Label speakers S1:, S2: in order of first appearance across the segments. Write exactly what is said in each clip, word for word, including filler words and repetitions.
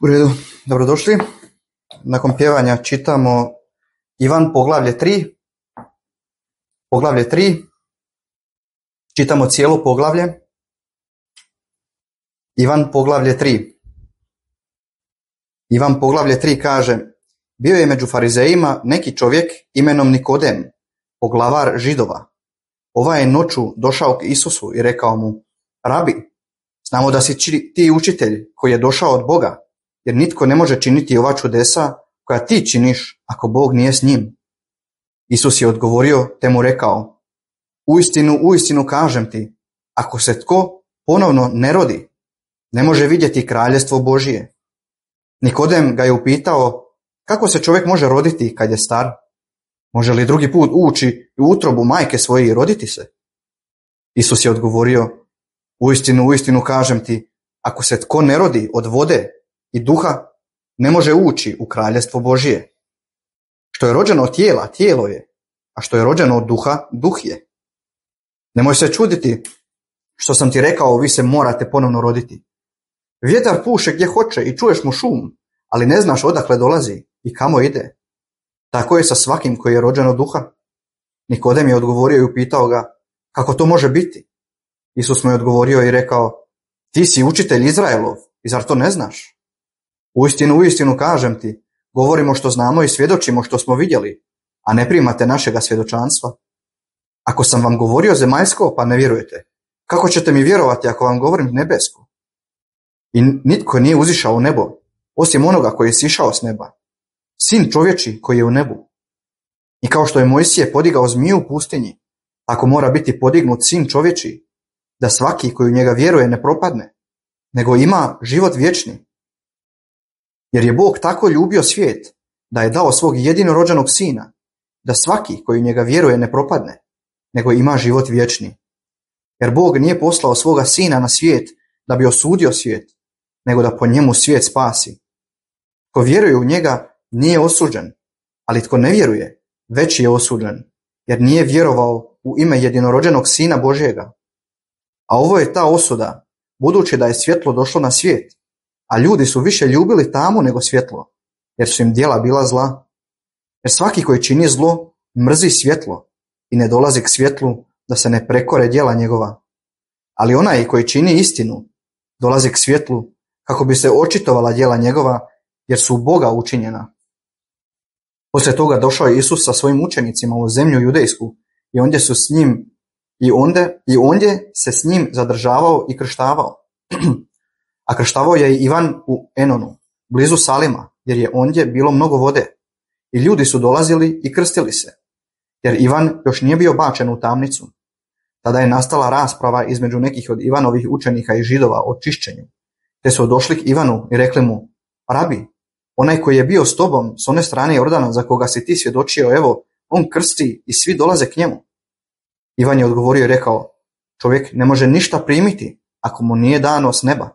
S1: U redu, dobrodošli. Nakon pjevanja čitamo Ivan poglavlje tri. Poglavlje tri. Čitamo cijelo poglavlje. Ivan poglavlje tri. Ivan poglavlje tri kaže: bio je među farizejima neki čovjek imenom Nikodem, poglavar Židova. Ovaj je noću došao k Isusu i rekao mu: Rabi, znamo da si ti učitelj koji je došao od Boga, jer nitko ne može činiti ova čudesa koja ti činiš ako Bog nije s njim. Isus je odgovorio te mu rekao: uistinu, uistinu kažem ti, ako se tko ponovno ne rodi, ne može vidjeti kraljestvo Božije. Nikodem ga je upitao: kako se čovjek može roditi kad je star? Može li drugi put ući u utrobu majke svoje i roditi se? Isus je odgovorio: uistinu, uistinu kažem ti, ako se tko ne rodi od vode i duha, ne može ući u kraljestvo Božije. Što je rođeno od tijela, tijelo je, a što je rođeno od duha, duh je. Nemoj se čuditi što sam ti rekao, vi se morate ponovno roditi. Vjetar puše gdje hoće i čuješ mu šum, ali ne znaš odakle dolazi i kamo ide. Tako je sa svakim koji je rođen od duha. Nikodem je odgovorio i upitao ga: kako to može biti? Isus mu je odgovorio i rekao: ti si učitelj Izraelov i zar to ne znaš? Uistinu, uistinu kažem ti, govorimo što znamo i svjedočimo što smo vidjeli, a ne primate našega svjedočanstva. Ako sam vam govorio zemaljsko, pa ne vjerujete, kako ćete mi vjerovati ako vam govorim nebesko? I nitko nije uzišao u nebo, osim onoga koji je sišao s neba, sin čovječi koji je u nebu. I kao što je Mojsije podigao zmiju u pustinji, tako mora biti podignut sin čovječi, da svaki koji u njega vjeruje ne propadne, nego ima život vječni. Jer je Bog tako ljubio svijet, da je dao svog jedinorođenog sina, da svaki koji u njega vjeruje ne propadne, nego ima život vječni. Jer Bog nije poslao svoga sina na svijet da bi osudio svijet, nego da po njemu svijet spasi. Tko vjeruje u njega nije osuđen, ali tko ne vjeruje, već je osuđen, jer nije vjerovao u ime jedinorođenog sina Božjega. A ovo je ta osuda, budući da je svjetlo došlo na svijet, a ljudi su više ljubili tamu nego svjetlo, jer su im djela bila zla. Jer svaki koji čini zlo mrzi svjetlo i ne dolazi k svjetlu da se ne prekore djela njegova. Ali onaj koji čini istinu dolazi k svjetlu kako bi se očitovala djela njegova, jer su u Boga učinjena. Poslije toga došao je Isus sa svojim učenicima u zemlju judejsku i ondje su s njim i ondje, i ondje se s njim zadržavao i krštavao. A krštavao je i Ivan u Enonu, blizu Salima, jer je ondje bilo mnogo vode. I ljudi su dolazili i krstili se, jer Ivan još nije bio bačen u tamnicu. Tada je nastala rasprava između nekih od Ivanovih učenika i Židova o čišćenju. Te su došli k Ivanu i rekli mu: Rabi, onaj koji je bio s tobom s one strane Jordana za koga si ti svjedočio, evo, on krsti i svi dolaze k njemu. Ivan je odgovorio i rekao: čovjek ne može ništa primiti ako mu nije dano s neba.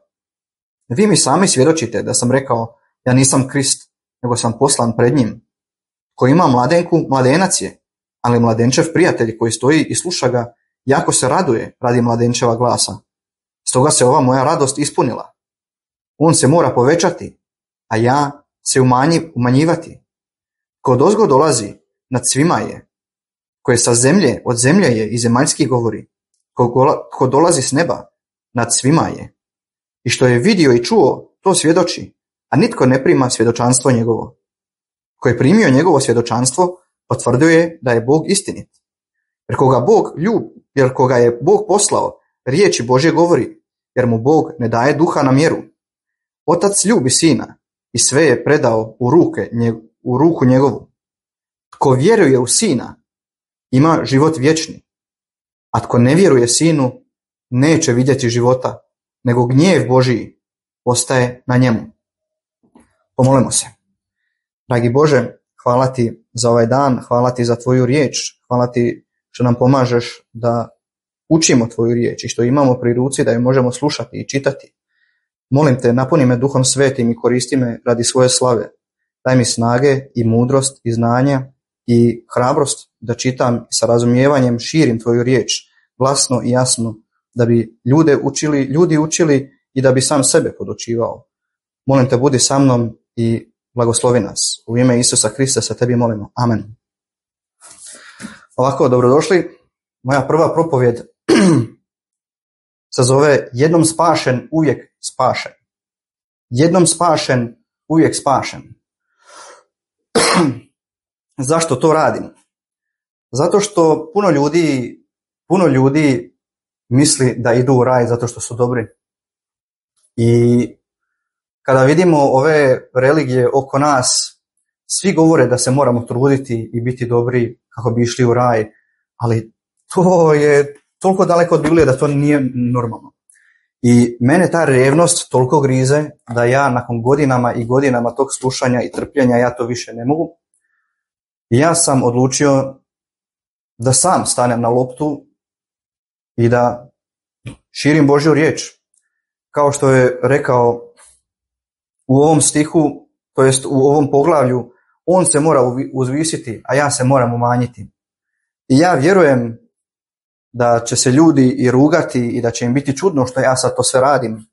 S1: Vi mi sami svjedočite da sam rekao: ja nisam Krist, nego sam poslan pred njim. Ko ima mladenku, mladenac je, ali mladenčev prijatelj koji stoji i sluša ga, jako se raduje radi mladenčeva glasa. Stoga se ova moja radost ispunila. On se mora povećati, a ja se umanji, umanjivati. Ko odozgo dolazi, nad svima je. Ko je sa zemlje, od zemlje je i zemaljski govori. Ko, ko dolazi s neba, nad svima je. I što je vidio i čuo, to svjedoči, a nitko ne prima svjedočanstvo njegovo. Ko je primio njegovo svjedočanstvo, potvrdio je da je Bog istinit. Jer koga Bog ljub, jer koga je Bog poslao, riječi Božje govori, jer mu Bog ne daje duha na mjeru. Otac ljubi sina i sve je predao u, ruke, u ruku njegovu. Tko vjeruje u sina, ima život vječni, a tko ne vjeruje sinu, neće vidjeti života, nego gnjev Božiji ostaje na njemu. Pomolimo se. Dragi Bože, hvala ti za ovaj dan, hvala ti za tvoju riječ, hvala ti što nam pomažeš da učimo tvoju riječ i što imamo pri ruci da ju možemo slušati i čitati. Molim te, napuni me Duhom Svetim i koristi me radi svoje slave. Daj mi snage i mudrost i znanja i hrabrost da čitam i sa razumijevanjem širim tvoju riječ, glasno i jasno, da bi ljude učili, ljudi učili i da bi sam sebe podučivao. Molim te, budi sa mnom i blagoslovi nas. U ime Isusa Krista se tebi molimo. Amen. Ovako, dobrodošli. Moja prva propovjed se zove Jednom spašen, uvijek spašen. Jednom spašen, uvijek spašen. Zašto to radim? Zato što puno ljudi, puno ljudi misli da idu u raj zato što su dobri. I kada vidimo ove religije oko nas, svi govore da se moramo truditi i biti dobri kako bi išli u raj, ali to je toliko daleko od Biblije da to nije normalno. I mene ta revnost toliko grize da ja nakon godinama i godinama tog slušanja i trpljenja ja to više ne mogu. I ja sam odlučio da sam stanem na loptu i da širim Božju riječ. Kao što je rekao u ovom stihu, to jest u ovom poglavlju, on se mora uzvisiti, a ja se moram umanjiti. I ja vjerujem da će se ljudi i rugati i da će im biti čudno što ja sad to sve radim.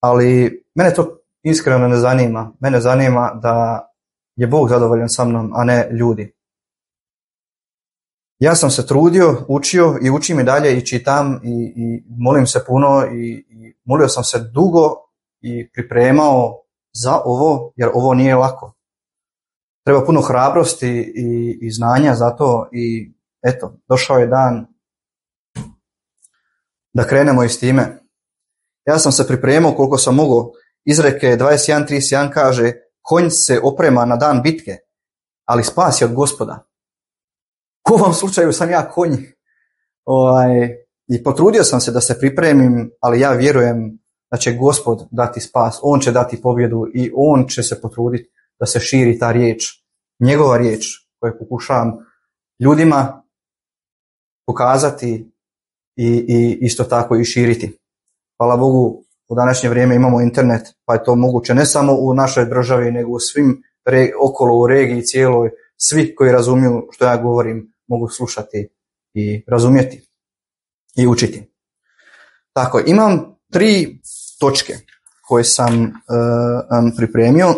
S1: Ali mene to iskreno ne zanima. Mene zanima da je Bog zadovoljan sa mnom, a ne ljudi. Ja sam se trudio, učio i učim i dalje i čitam i, i molim se puno i, i molio sam se dugo i pripremao za ovo, jer ovo nije lako. Treba puno hrabrosti i, i znanja za to i eto, došao je dan da krenemo i s time. Ja sam se pripremao koliko sam mogao. Izreke dvadeset jedan trideset jedan kaže: konj se oprema na dan bitke, ali spas je od Gospoda. U ovom slučaju sam ja konj. Ovaj, I potrudio sam se da se pripremim, ali ja vjerujem da će Gospod dati spas. On će dati pobjedu i on će se potruditi da se širi ta riječ. Njegova riječ koju pokušavam ljudima pokazati i, i isto tako i širiti. Hvala Bogu, u današnje vrijeme imamo internet, pa je to moguće ne samo u našoj državi, nego u svim re, okolo u regiji cijeloj. Svi koji razumiju što ja govorim mogu slušati i razumjeti i učiti. Tako, imam tri točke koje sam uh, pripremio.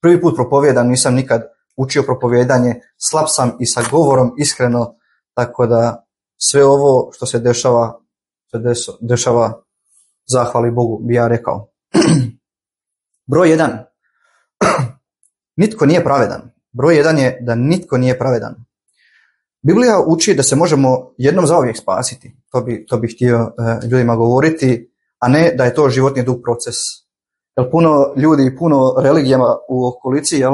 S1: Prvi put propovijedam, nisam nikad učio propovijedanje, slab sam i sa govorom iskreno, tako da sve ovo što se dešava, se dešava zahvali Bogu, bi ja rekao. Broj jedan. Nitko nije pravedan. Broj jedan je da nitko nije pravedan. Biblija uči da se možemo jednom zauvijek spasiti. To bi, to bi htio e, ljudima govoriti, a ne da je to životni dug proces. Jer puno ljudi i puno religijama u okolici jel,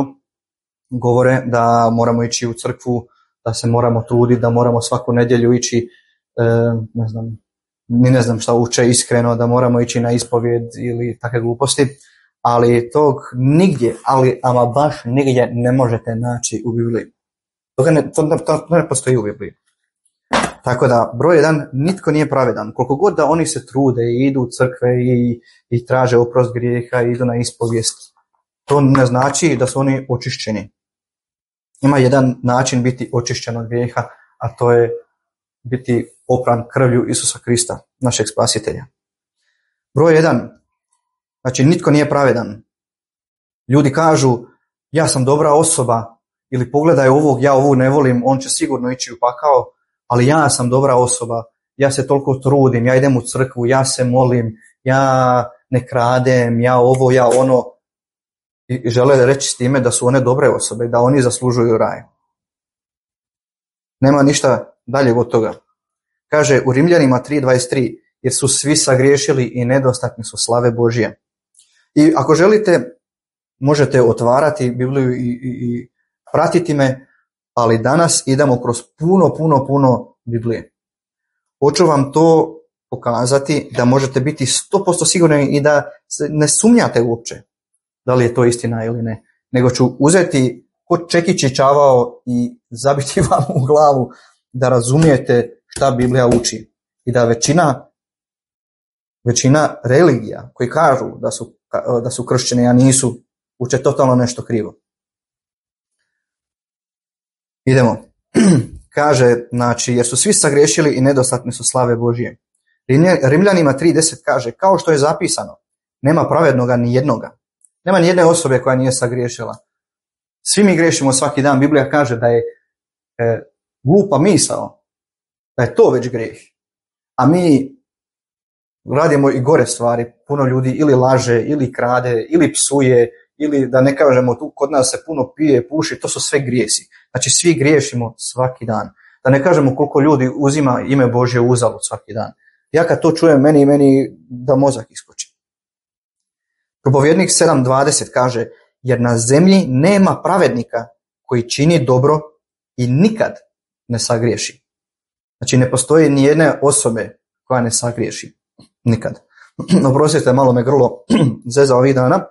S1: govore da moramo ići u crkvu, da se moramo truditi, da moramo svaku nedjelju ići, e, ne znam, ni ne znam šta uče iskreno, da moramo ići na ispovjed ili takve gluposti. Ali tog nigdje, ali ama baš nigdje ne možete naći u Bibliji. To ne, to, to ne postoji u Bibliji. Tako da, broj jedan, nitko nije pravedan. Koliko god da oni se trude i idu u crkve i, i traže oprost grijeha i idu na ispovijest, to ne znači da su oni očišćeni. Ima jedan način biti očišćen od grijeha, a to je biti opran krvlju Isusa Krista, našeg spasitelja. Broj jedan, znači nitko nije pravedan. Ljudi kažu, ja sam dobra osoba, ili pogledaj ovog, ja ovog ne volim, on će sigurno ići u pakao, ali ja sam dobra osoba, ja se toliko trudim, ja idem u crkvu, ja se molim, ja ne kradem, ja ovo, ja ono. I žele reći s time da su one dobre osobe, da oni zaslužuju raj. Nema ništa dalje od toga. Kaže u Rimljanima tri dvadeset tri, jer su svi sagriješili i nedostatni su slave Božje. I ako želite, možete otvarati Bibliju i, i, i pratiti me, ali danas idemo kroz puno, puno, puno Biblije. Hoću vam to pokazati da možete biti sto posto sigurni i da ne sumnjate uopće da li je to istina ili ne, nego ću uzeti ko čekić i čavao i zabiti vam u glavu da razumijete šta Biblija uči i da većina većina religija koji kažu da su, da su kršćani, a nisu, uče totalno nešto krivo. Idemo. Kaže, znači, jer su svi sagriješili i nedostatni su slave Božje. Rimljanima tri deset kaže, kao što je zapisano, nema pravednoga ni jednoga. Nema ni jedne osobe koja nije sagriješila. Svi mi griješimo svaki dan. Biblija kaže da je e, glupa misao, da je to već grijeh. A mi radimo i gore stvari. Puno ljudi ili laže, ili krade, ili psuje, ili da ne kažemo tu kod nas se puno pije, puši, to su sve grijesi. Znači svi griješimo svaki dan. Da ne kažemo koliko ljudi uzima ime Božje uzalud svaki dan. Ja kad to čujem, meni i meni da mozak iskoči. Propovjednik sedam dvadeset kaže, jer na zemlji nema pravednika koji čini dobro i nikad ne sagriješi. Znači ne postoji ni jedne osobe koja ne sagriješi. Nikad. Oprostite, malo me grlo zezao ovih dana,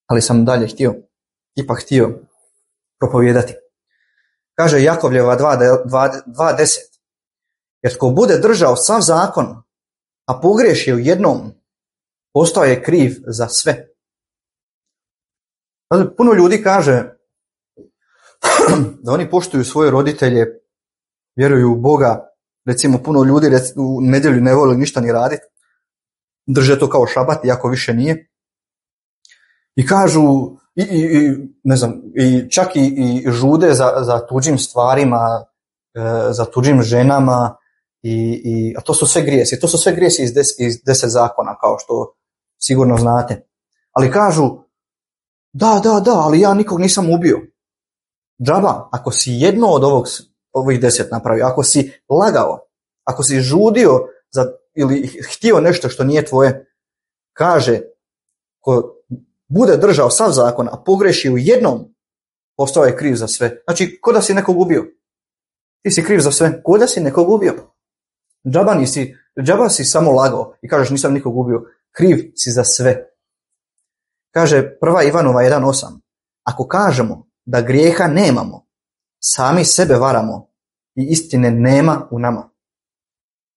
S1: ali sam dalje htio, ipak htio propovijedati. Kaže Jakovljeva dva deset, jer tko bude držao sav zakon, a pogriješi u jednom, postao je kriv za sve. Puno ljudi kaže da oni poštuju svoje roditelje, vjeruju u Boga. Recimo puno ljudi u nedjelju ne vole ništa ni raditi, drže to kao šabat, iako više nije. I kažu, i, i, i, ne znam, i čak i, i žude za, za tuđim stvarima, e, za tuđim ženama, i, i, a to su sve grijesi. To su sve grijesi iz, des, iz deset zakona, kao što sigurno znate. Ali kažu, da, da, da, ali ja nikog nisam ubio. Džaba, ako si jedno od ovog, ovih deset napravio, ako si lagao, ako si žudio za, ili htio nešto što nije tvoje, kaže, ko bude držao sav zakon, a pogreši u jednom, postao je kriv za sve. Znači, ko da si nekog ubio. Ti si kriv za sve. Ko da si nekog ubio. Džaba, nisi, džaba si samo lagao i kažeš nisam nikog ubio. Kriv si za sve. Kaže prva Ivanova jedan osam. Ako kažemo da grijeha nemamo, sami sebe varamo i istine nema u nama.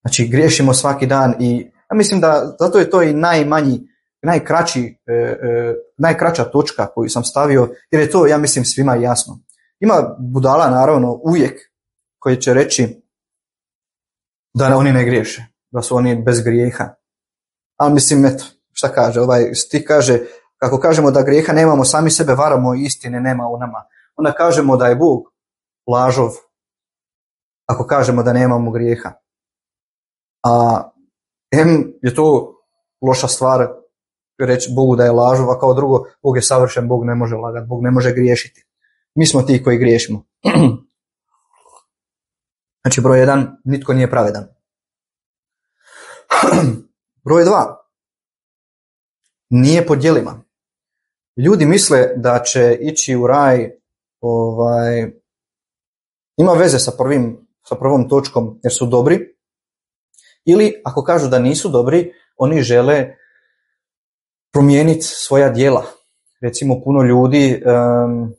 S1: Znači, griješimo svaki dan i ja mislim da zato je to i najmanji, najkraći, e, e, najkraća točka koju sam stavio, jer je to, ja mislim, svima jasno. Ima budala, naravno, uvijek koji će reći da oni ne griješe, da su oni bez grijeha. Ali mislim, eto, šta kaže, ovaj stih kaže, kako kažemo da grijeha nemamo, sami sebe varamo i istine nema u nama. Onda kažemo da je Bog lažov, ako kažemo da nemamo grijeha. A em je to loša stvar reći Bogu da je lažov, a kao drugo, Bog je savršen, Bog ne može lagati, Bog ne može griješiti. Mi smo ti koji griješimo. Znači, broj jedan, nitko nije pravedan. Broj dva, nije po djelima. Ljudi misle da će ići u raj, ovaj, ima veze sa, prvim, sa prvom točkom jer su dobri, ili ako kažu da nisu dobri, oni žele promijeniti svoja djela. Recimo puno ljudi, um,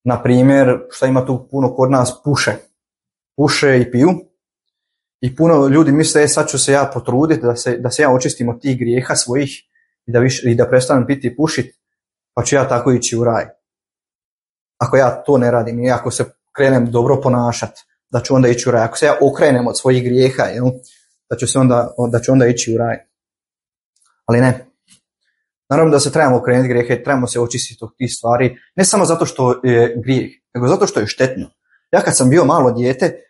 S1: na primjer, šta ima tu puno kod nas, puše. Puše i piju. I puno ljudi misle, e, sad ću se ja potruditi da se, da se ja očistim od tih grijeha svojih i da, više, i da prestanem piti i pušiti, pa ću ja tako ići u raj. Ako ja to ne radim i ako se krenem dobro ponašati, da ću onda ići u raj. Ako se ja okrenem od svojih grijeha, jel, da ću, se onda, da ću onda ići u raj. Ali ne. Naravno da se trebamo okrenuti grijehe, trebamo se očistiti od tih stvari, ne samo zato što je grijeh, nego zato što je štetno. Ja kad sam bio malo dijete,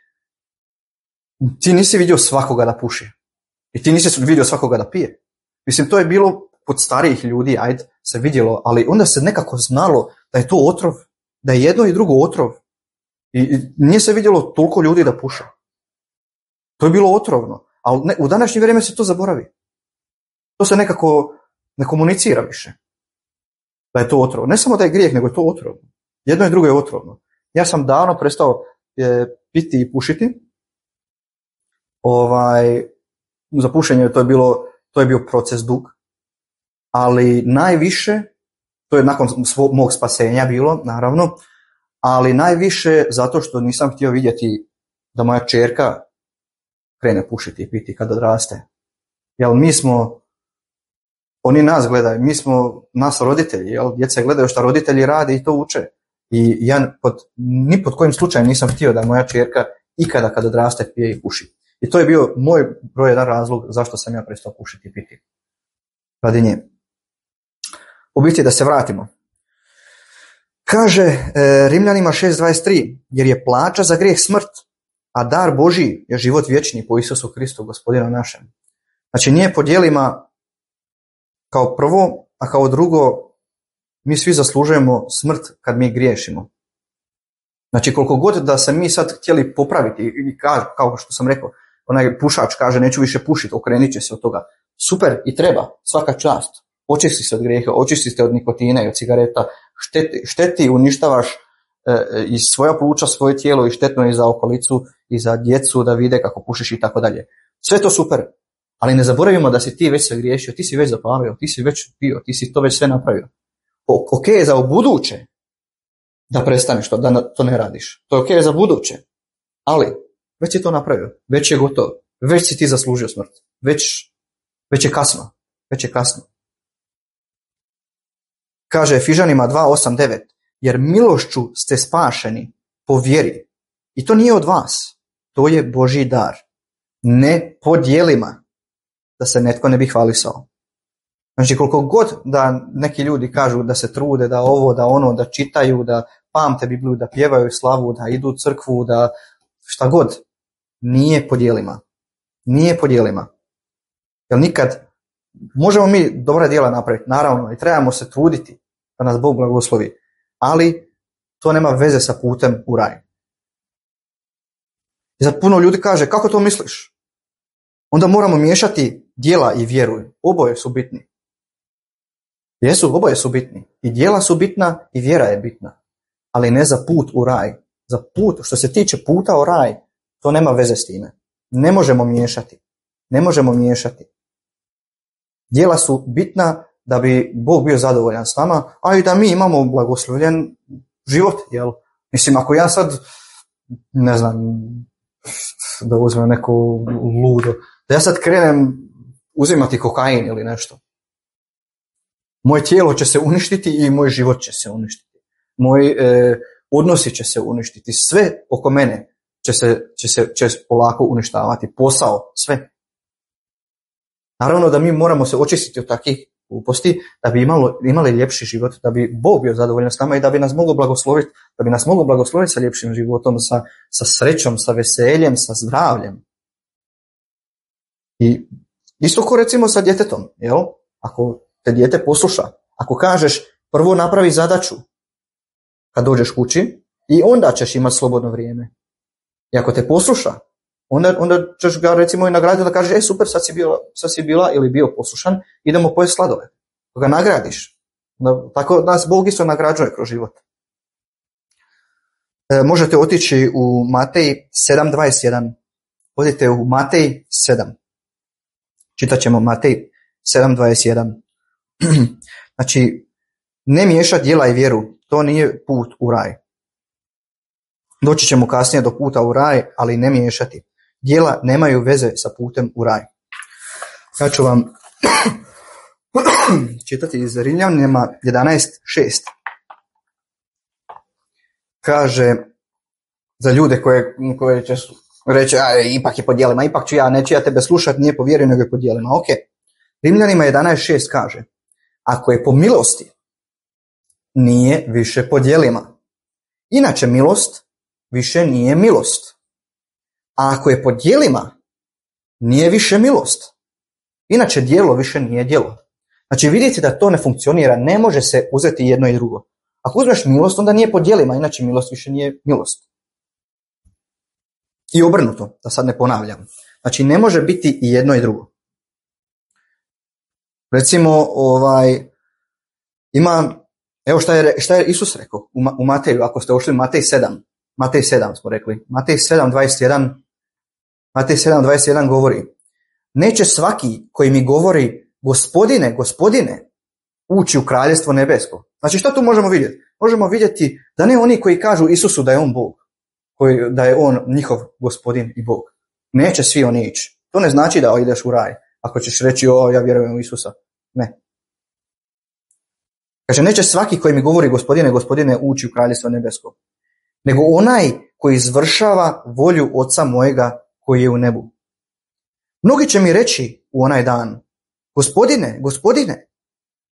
S1: ti nisi vidio svakoga da puši. I ti nisi vidio svakoga da pije. Mislim, to je bilo kod starijih ljudi, ajde, se vidjelo, ali onda se nekako znalo da je to otrov, da je jedno i drugo otrov. I, i nije se vidjelo toliko ljudi da puše. To je bilo otrovno. Ali ne, u današnje vrijeme se to zaboravi. To se nekako ne komunicira više. Da je to otrovno. Ne samo da je grijeh, nego je to otrovno. Jedno i drugo je otrovno. Ja sam davno prestao e, piti i pušiti. Ovaj, za pušenje to je, bilo, to je bio proces dug. Ali najviše, to je nakon svog, mog spasenja bilo, naravno, ali najviše zato što nisam htio vidjeti da moja čerka krene pušiti i piti kad odraste. Jel mi smo, oni nas gledaju, mi smo nas roditelji, jel djeca gledaju što roditelji rade i to uče. I ja pod, ni pod kojim slučajem nisam htio da moja čerka ikada kad odraste pije i puši. I to je bio moj broj jedan razlog zašto sam ja prestao pušiti i piti. Radi nje. U biti da se vratimo. Kaže e, Rimljanima šest dvadeset tri, jer je plaća za grijeh smrt, a dar Božji je život vječni po Isusu Kristu, gospodinu našem. Znači nije po djelima kao prvo, a kao drugo, mi svi zaslužujemo smrt kad mi griješimo. Znači koliko god da se mi sad htjeli popraviti, i kao što sam rekao, onaj pušač kaže neću više pušiti, okrenit će se od toga. Super i treba, svaka čast. Očisti se od grijeha, očisti se od nikotina i od cigareta, šteti, šteti uništavaš e, i svoja pluća, svoje tijelo i štetno je za okolicu i za djecu da vide kako pušiš i tako dalje. Sve to super, ali ne zaboravimo da si ti već se griješio, ti si već zapalio, ti si već pio, ti si to već sve napravio. O, ok je za ubuduće da prestaneš to, da to ne radiš. To je ok za buduće, ali već si to napravio, već je gotovo, već si ti zaslužio smrt, već, već je kasno, već je kasno. Kaže Efižanima dva osam devet, jer milošću ste spašeni po vjeri. I to nije od vas, to je Božji dar. Ne po djelima, da se netko ne bi hvalisao. Znači koliko god da neki ljudi kažu da se trude, da ovo, da ono, da čitaju, da pamte Bibliju, da pjevaju slavu, da idu u crkvu, da šta god, nije po djelima. Nije po djelima. Jer nikad, možemo mi dobra djela napraviti, naravno, i trebamo se truditi da nas Bog blagoslovi, ali to nema veze sa putem u raj. I za puno ljudi kaže, kako to misliš? Onda moramo miješati djela i vjeru. Oboje su bitni. Jesu, oboje su bitni. I djela su bitna i vjera je bitna. Ali ne za put u raj. Za put, što se tiče puta u raj, to nema veze s time. Ne možemo miješati. Ne možemo miješati. Djela su bitna da bi Bog bio zadovoljan s nama, a i da mi imamo blagoslovljen život. Jel? Mislim, ako ja sad, ne znam, da uzmem neko ludo, da ja sad krenem uzimati kokain ili nešto, moje tijelo će se uništiti i moj život će se uništiti. Moji e, odnosi će se uništiti. Sve oko mene će se, će se će polako uništavati. Posao, sve. Naravno da mi moramo se očistiti od takvih gluposti da bi imalo, imali ljepši život, da bi Bog bio zadovoljan s nama i da bi nas moglo blagosloviti, da bi nas moglo blagosloviti sa ljepšim životom, sa, sa srećom, sa veseljem, sa zdravljem. I isto ko recimo sa djetetom, jel? Ako te dijete posluša, ako kažeš prvo napravi zadaću kad dođeš kući i onda ćeš imati slobodno vrijeme. I ako te posluša, onda, onda ćeš ga recimo i nagraditi da kažeš, e super, sad si, bila, sad si bila ili bio poslušan, idemo pojesti sladole. Ga nagradiš. Da, tako nas Bog isto nagrađuje kroz život. E, možete otići u Matej sedam dvadeset jedan. Odite u Matej sedam. Čitat ćemo Matej sedam dvadeset jedan. Znači, ne miješati djela i vjeru, to nije put u raj. Doći ćemo kasnije do puta u raj, ali ne miješati. Djela nemaju veze sa putem u raj. Ja ću vam čitati iz Rimljanima jedanaest šest. Kaže za ljude koje, koje će reći, a, ipak je po djelima, ipak ću ja, neću ja tebe slušati, nije po vjeri, nego je po djelima. Ok. Rimljanima jedanaest šest kaže, ako je po milosti, nije više po djelima. Inače milost više nije milost. A ako je po djelima, nije više milost. Inače djelo više nije djelo. Znači vidite da to ne funkcionira, ne može se uzeti jedno i drugo. Ako uzmeš milost, onda nije po djelima, inače milost više nije milost. I obrnuto, da sad ne ponavljam. Znači ne može biti i jedno i drugo. Recimo, ovaj, ima, evo šta je, šta je Isus rekao u, u Mateju, ako ste ošli Matej sedam, Matej sedam smo rekli, Matej sedam dvadeset jedan, Matej sedam dvadeset jedan govori, neće svaki koji mi govori gospodine, gospodine, ući u kraljestvo nebesko. Znači što tu možemo vidjeti? Možemo vidjeti da ne oni koji kažu Isusu da je on Bog, koji, da je on njihov gospodin i Bog. Neće svi oni ići. To ne znači da ideš u raj. Ako ćeš reći, o, ja vjerujem u Isusa. Ne. Kaže, neće svaki koji mi govori gospodine, gospodine, ući u kraljestvo nebesko. Nego onaj koji izvršava volju Oca mojega koji je u nebu. Mnogi će mi reći u onaj dan, Gospodine, Gospodine,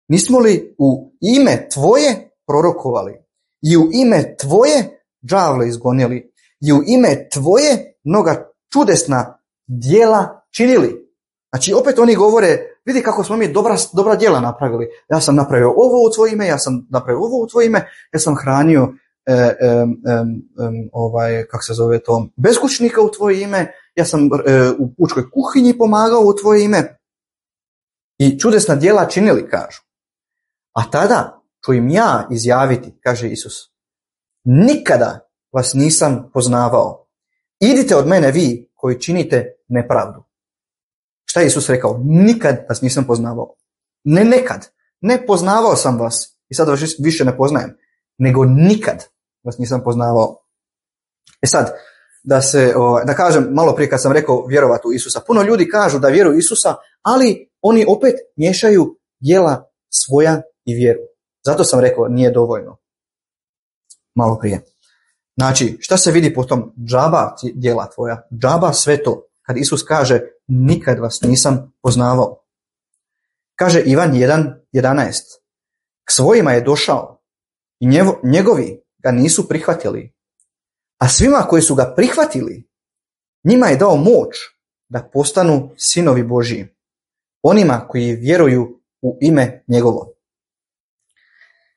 S1: nismo li u ime Tvoje prorokovali i u ime Tvoje đavle izgonili i u ime Tvoje mnoga čudesna djela činili? Znači opet oni govore, vidi kako smo mi dobra, dobra djela napravili. Ja sam napravio ovo u Tvoje ime, ja sam napravio ovo u Tvoje ime, ja sam hranio e, e, e, e, ovaj, kako se zove to, beskućnika u Tvoje ime, ja sam e, u pučkoj kuhinji pomagao u Tvoje ime i čudesna djela činili, kažu. A tada ću im ja izjaviti, kaže Isus, nikada vas nisam poznavao. Idite od mene vi koji činite nepravdu. Šta je Isus rekao? Nikad vas nisam poznavao. Ne nekad. Ne poznavao sam vas i sad vas više ne poznajem. Nego nikad vas nisam poznavao. E sad, da se, da kažem, malo prije kad sam rekao vjerovati u Isusa. Puno ljudi kažu da vjeruju u Isusa, ali oni opet miješaju djela svoja i vjeru. Zato sam rekao nije dovoljno. Malo prije. Znači, šta se vidi po tom? Džaba djela tvoja. Džaba sve to. Kad Isus kaže nikad vas nisam poznavao. Kaže Ivan jedan jedanaest. K svojima je došao i njegovi ga nisu prihvatili. A svima koji su ga prihvatili, njima je dao moć da postanu sinovi Božji. Onima koji vjeruju u ime njegovo.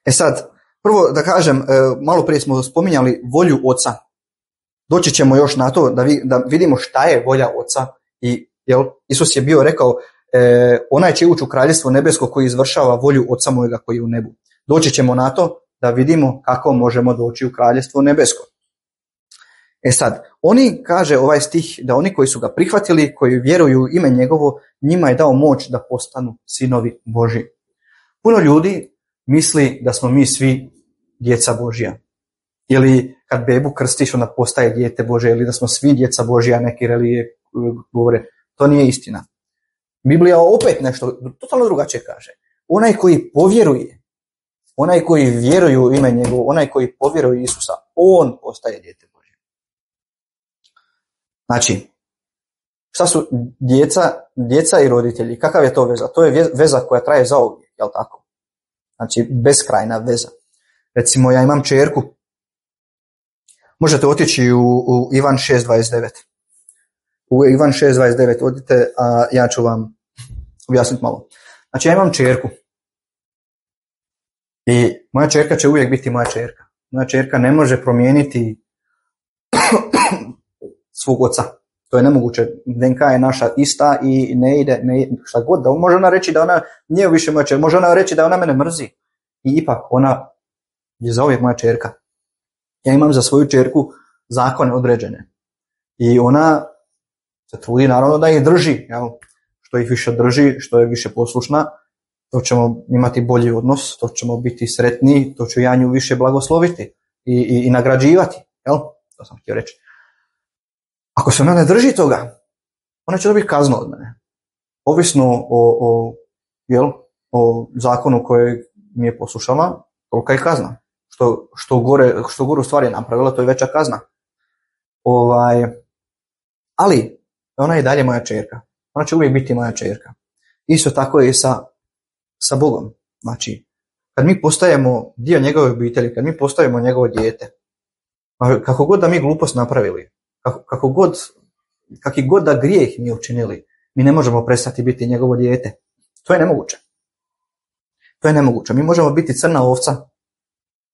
S1: E sad, prvo da kažem, malo prije smo spominjali volju Oca. Doći ćemo još na to da, vi, da vidimo šta je volja Oca. I jel, Isus je bio rekao, e, onaj će ući u kraljevstvo nebesko koji izvršava volju Oca mojega koji je u nebu. Doći ćemo na to da vidimo kako možemo doći u kraljevstvo nebesko. E sad, oni, kaže ovaj stih, da oni koji su ga prihvatili, koji vjeruju u ime njegovo, njima je dao moć da postanu sinovi Božji. Puno ljudi misli da smo mi svi djeca Božja. Ili kad bebu krstiš, ona postaje dijete Božje, ili da smo svi djeca Božja, neki relije govore. To nije istina. Biblija opet nešto totalno drugačije kaže. Onaj koji povjeruje, onaj koji vjeruje u ime njegovo, onaj koji povjeruje Isusa, on postaje dijete Božje. Znači, šta su djeca, djeca i roditelji? Kakav je to veza? To je veza koja traje zauvijek, jel tako? Znači, beskrajna veza. Recimo, ja imam kćerku. Možete otići u, u Ivan šest dvadeset devet. U Ivan šest dvadeset devet odite, a ja ću vam objasniti malo. Znači, ja imam kćerku. I moja kćerka će uvijek biti moja kćerka. Moja kćerka ne može promijeniti svog oca. To je nemoguće. D N K je naša ista i ne ide, ne ide šta god. Da, može ona reći da ona nije više moja kćerka. Može ona reći da ona mene mrzi. I ipak ona je zauvijek moja kćerka. Ja imam za svoju kćerku zakone određene. I ona se trudi naravno da ih drži. Jel? Što ih više drži, što je više poslušna, to ćemo imati bolji odnos, to ćemo biti sretniji, to ću ja nju više blagosloviti i, i, i nagrađivati. Jel? To sam htio reći. Ako se ona ne drži toga, ona će dobiti kaznu od mene. Ovisno o, o, jel, o zakonu koje mi je poslušala, tolika je kazna. Što, što, gore, što gore u stvari je napravila, to je veća kazna. Ovaj, ali ona je i dalje moja kćerka. Ona će uvijek biti moja kćerka. Isto tako je i sa, sa Bogom. Znači, kad mi postajemo dio njegove obitelji, kad mi postajemo njegovo dijete, kako god da mi glupost napravili, kako, kako god, kakvi god da grijeh mi učinili, mi ne možemo prestati biti njegovo dijete. To je nemoguće. To je nemoguće. Mi možemo biti crna ovca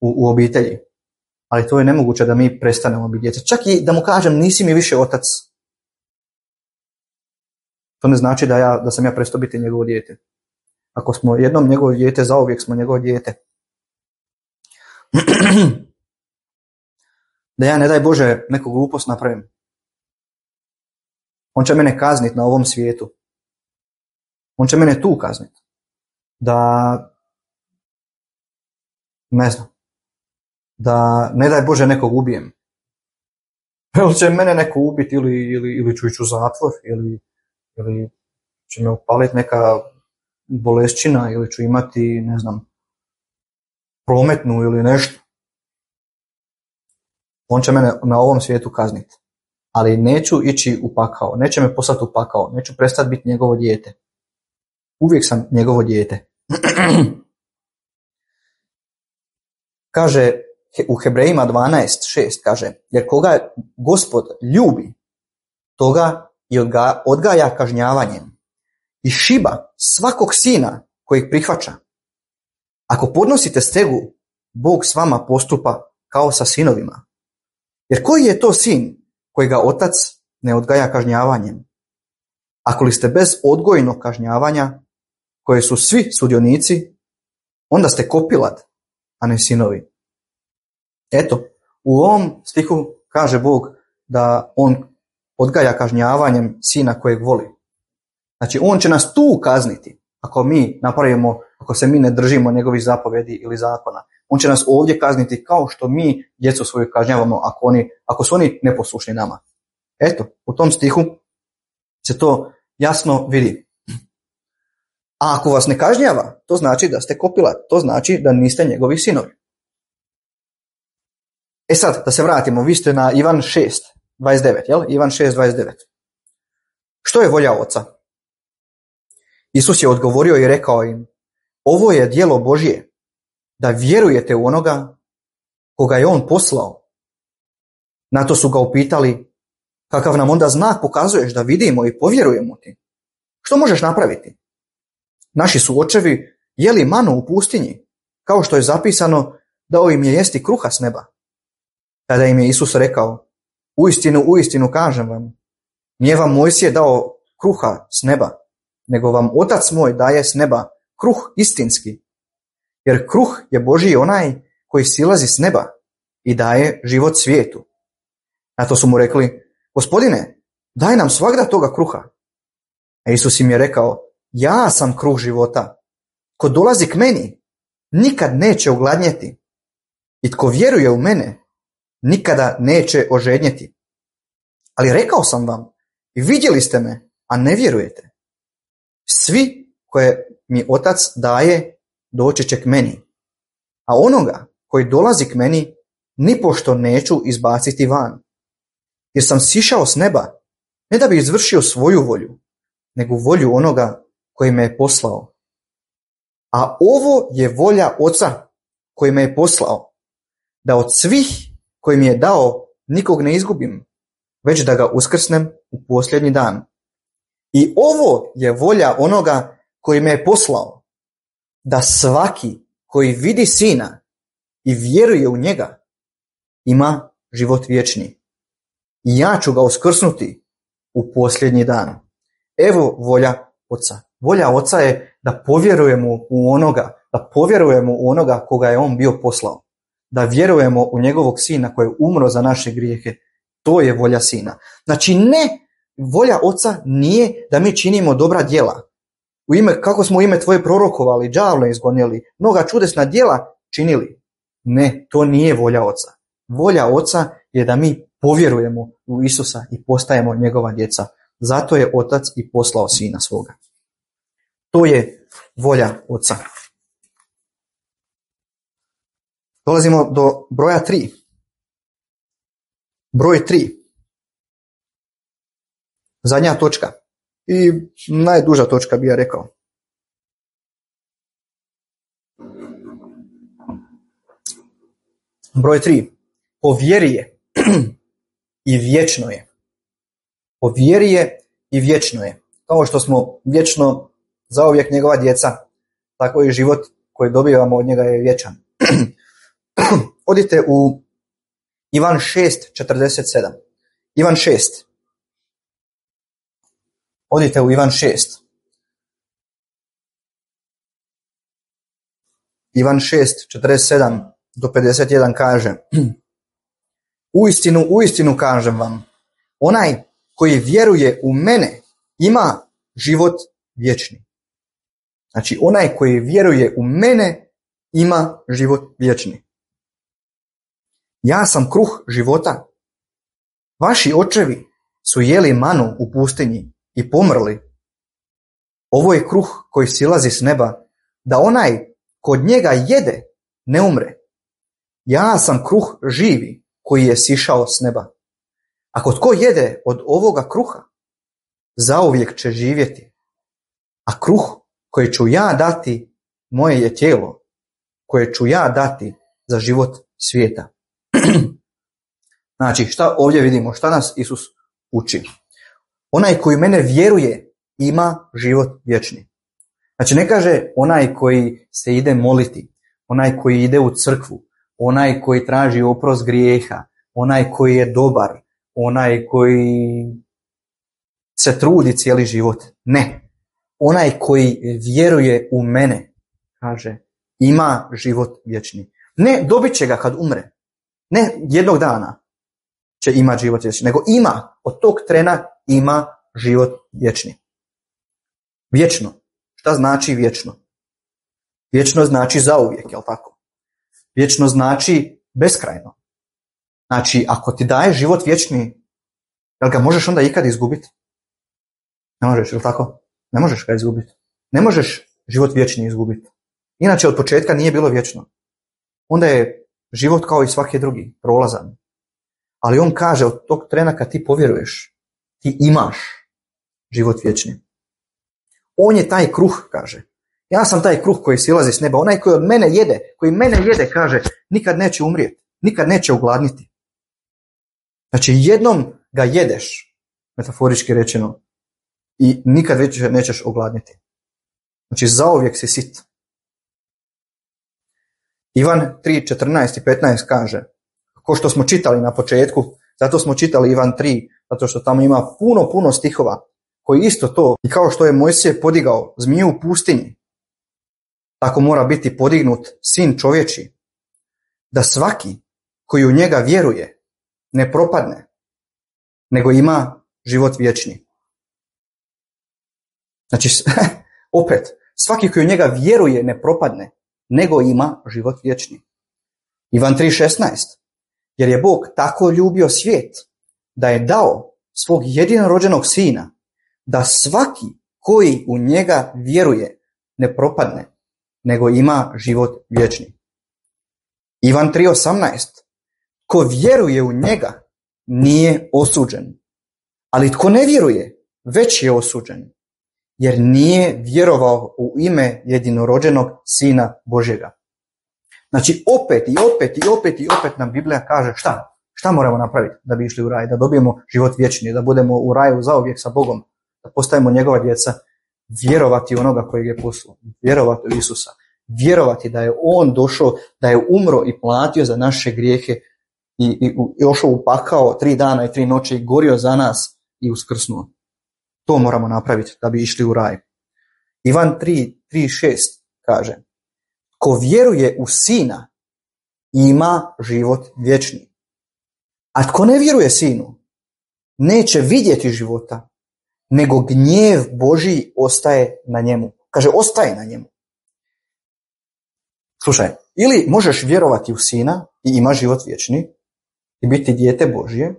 S1: u, u obitelji, ali to je nemoguće da mi prestanemo biti djeca. Čak i da mu kažem nisi mi više otac. To ne znači da, ja, da sam ja prestao biti njegovo dijete. Ako smo jednom njegovo dijete, zauvijek smo njegovo dijete. Da ja, ne daj Bože, neku glupost napravim. On će mene kazniti na ovom svijetu. On će mene tu kazniti. Da, ne znam, da ne daj Bože nekog ubijem. Ili će mene neko ubiti ili, ili, ili ću ići u zatvor ili, ili će me upaliti neka bolešćina ili ću imati, ne znam, prometnu ili nešto. On će mene na ovom svijetu kazniti. ali neću ići u pakao, neće me poslati u pakao, neću prestati biti njegovo dijete. Uvijek sam njegovo dijete. Kaže u Hebrejima dvanaest šest kaže, jer koga Gospod ljubi, toga i odga, odgaja kažnjavanjem i šiba svakog sina kojeg prihvaća. Ako podnosite stegu, Bog s vama postupa kao sa sinovima. Jer koji je to sin kojega otac ne odgaja kažnjavanjem? Ako li ste bez odgojnog kažnjavanja, koje su svi sudionici, onda ste kopilad, a ne sinovi. Eto, u ovom stihu kaže Bog da on odgaja kažnjavanjem sina kojeg voli. Znači, on će nas tu kazniti ako mi napravimo, ako se mi ne držimo njegovih zapovjedi ili zakona. On će nas ovdje kazniti kao što mi djecu svoju kažnjavamo ako, oni, ako su oni neposlušni nama. Eto, u tom stihu se to jasno vidi. A ako vas ne kažnjava, to znači da ste kopilad, to znači da niste njegovi sinovi. E sad, da se vratimo, vi ste na Ivan šest dvadeset devet, jel? Ivan šest dvadeset devet. Što je volja oca? Isus je odgovorio i rekao im, ovo je djelo Božje, da vjerujete u onoga koga je on poslao. Na to su ga upitali, kakav nam onda znak pokazuješ da vidimo i povjerujemo ti? Što možeš napraviti? Naši su očevi jeli manu u pustinji, kao što je zapisano, dao im je jesti kruha s neba. Tada im je Isus rekao, uistinu, uistinu kažem vam, nije vam Mojsije dao kruha s neba, nego vam Otac moj daje s neba kruh istinski. Jer kruh je Božji onaj koji silazi s neba i daje život svijetu. Na to su mu rekli, Gospodine, daj nam svagda toga kruha. A Isus im je rekao, ja sam kruh života. Ko dolazi k meni, nikad neće ogladnjeti. I tko vjeruje u mene, nikada neće ožednjeti. Ali rekao sam vam, i vidjeli ste me, a ne vjerujete. Svi koje mi Otac daje, doći će k meni. A onoga koji dolazi k meni, nipošto neću izbaciti van. Jer sam sišao s neba, ne da bi izvršio svoju volju, nego volju onoga koji me je poslao. A ovo je volja Oca koji me je poslao, da od svih koji mi je dao nikog ne izgubim, već da ga uskrsnem u posljednji dan. I ovo je volja onoga koji me je poslao, da svaki koji vidi Sina i vjeruje u njega, ima život vječni. I ja ću ga uskrsnuti u posljednji dan. Evo volja Oca. Volja Oca je da povjerujemo u onoga, da povjerujemo u onoga koga je on bio poslao. Da vjerujemo u njegovog Sina koji je umro za naše grijehe. To je volja Sina. Znači ne, volja Oca nije da mi činimo dobra djela. U ime, kako smo u ime tvoje prorokovali, đavle izgonili, mnoga čudesna djela činili. Ne, to nije volja Oca. Volja Oca je da mi povjerujemo u Isusa i postajemo njegova djeca. Zato je Otac i poslao Sina svoga. To je volja Oca. Dolazimo do broja tri. Broj tri. Zadnja točka. I najduža točka bi ja rekao. Broj tri. Po vjeri je i vječno je. Po vjeri je i vječno je. Kao što smo vječno zauvijek njegova djeca, tako i život koji dobivamo od njega je vječan. Odite u Ivan šest četrdeset sedam. Ivan šest. Odite u Ivan šest. Ivan šest četrdeset sedam do pedeset jedan kaže: Uistinu, uistinu kažem vam, onaj koji vjeruje u mene ima život vječni. Znači, onaj koji vjeruje u mene ima život vječni. Ja sam kruh života. Vaši očevi su jeli manu u pustinji i pomrli. Ovo je kruh koji silazi s neba, da onaj kod njega jede ne umre. Ja sam kruh živi koji je sišao s neba. Ako tko jede od ovoga kruha, zauvijek će živjeti. A kruh koji ću ja dati, moje je tijelo, koje ću ja dati za život svijeta. Znači, šta ovdje vidimo? Šta nas Isus uči? Onaj koji mene vjeruje ima život vječni. Znači, ne kaže onaj koji se ide moliti, onaj koji ide u crkvu, onaj koji traži oprost grijeha, onaj koji je dobar, onaj koji se trudi cijeli život. Ne. Onaj koji vjeruje u mene, kaže, ima život vječni. Ne dobit će ga kad umre. Ne jednog dana će imati život vječni, nego ima, od tog trena ima život vječni. Vječno. Šta znači vječno? Vječno znači zauvijek, jel tako? Vječno znači beskrajno. Znači, ako ti daje život vječni, jel ga možeš onda ikad izgubiti? Ne možeš, jel tako? Ne možeš ga izgubiti. Ne možeš život vječni izgubiti. Inače, od početka nije bilo vječno. Onda je život kao i svaki drugi, prolazan. Ali on kaže, od tog trena kad ti povjeruješ, ti imaš život vječni. On je taj kruh, kaže. Ja sam taj kruh koji silazi s neba. Onaj koji od mene jede, koji mene jede, kaže, nikad neće umrijeti, nikad neće ogladniti. Znači, jednom ga jedeš, metaforički rečeno, i nikad već nećeš ogladniti. Znači, zauvijek si sit. Ivan tri, četrnaest i petnaest kaže, ko što smo čitali na početku, zato smo čitali Ivan tri, zato što tamo ima puno, puno stihova, koji isto to, i kao što je Mojsije podigao zmiju u pustinji, tako mora biti podignut sin čovječi, da svaki koji u njega vjeruje ne propadne, nego ima život vječni. Znači, opet, svaki koji u njega vjeruje ne propadne, nego ima život vječni. Ivan tri šesnaest. Jer je Bog tako ljubio svijet da je dao svog jedinorođenog sina, da svaki koji u njega vjeruje ne propadne, nego ima život vječni. Ivan tri osamnaest. Ko vjeruje u njega nije osuđen, ali tko ne vjeruje već je osuđen, jer nije vjerovao u ime jedinorođenog Sina Božjega. Znači opet i opet i opet i opet nam Biblija kaže šta? Šta moramo napraviti da bi išli u raj? Da dobijemo život vječni, da budemo u raju zauvijek sa Bogom, da postajemo njegova djeca, vjerovati u onoga kojeg je poslao, vjerovati u Isusa, vjerovati da je on došao, da je umro i platio za naše grijehe i, i, i ošao u pakao tri dana i tri noći i gorio za nas i uskrsnuo. To moramo napraviti da bi išli u raj. Ivan tri, tri šest kaže, ko vjeruje u Sina ima život vječni. A tko ne vjeruje Sinu neće vidjeti života, nego gnjev Božji ostaje na njemu. Kaže, ostaje na njemu. Slušaj, ili možeš vjerovati u Sina i ima život vječni i biti dijete Božje,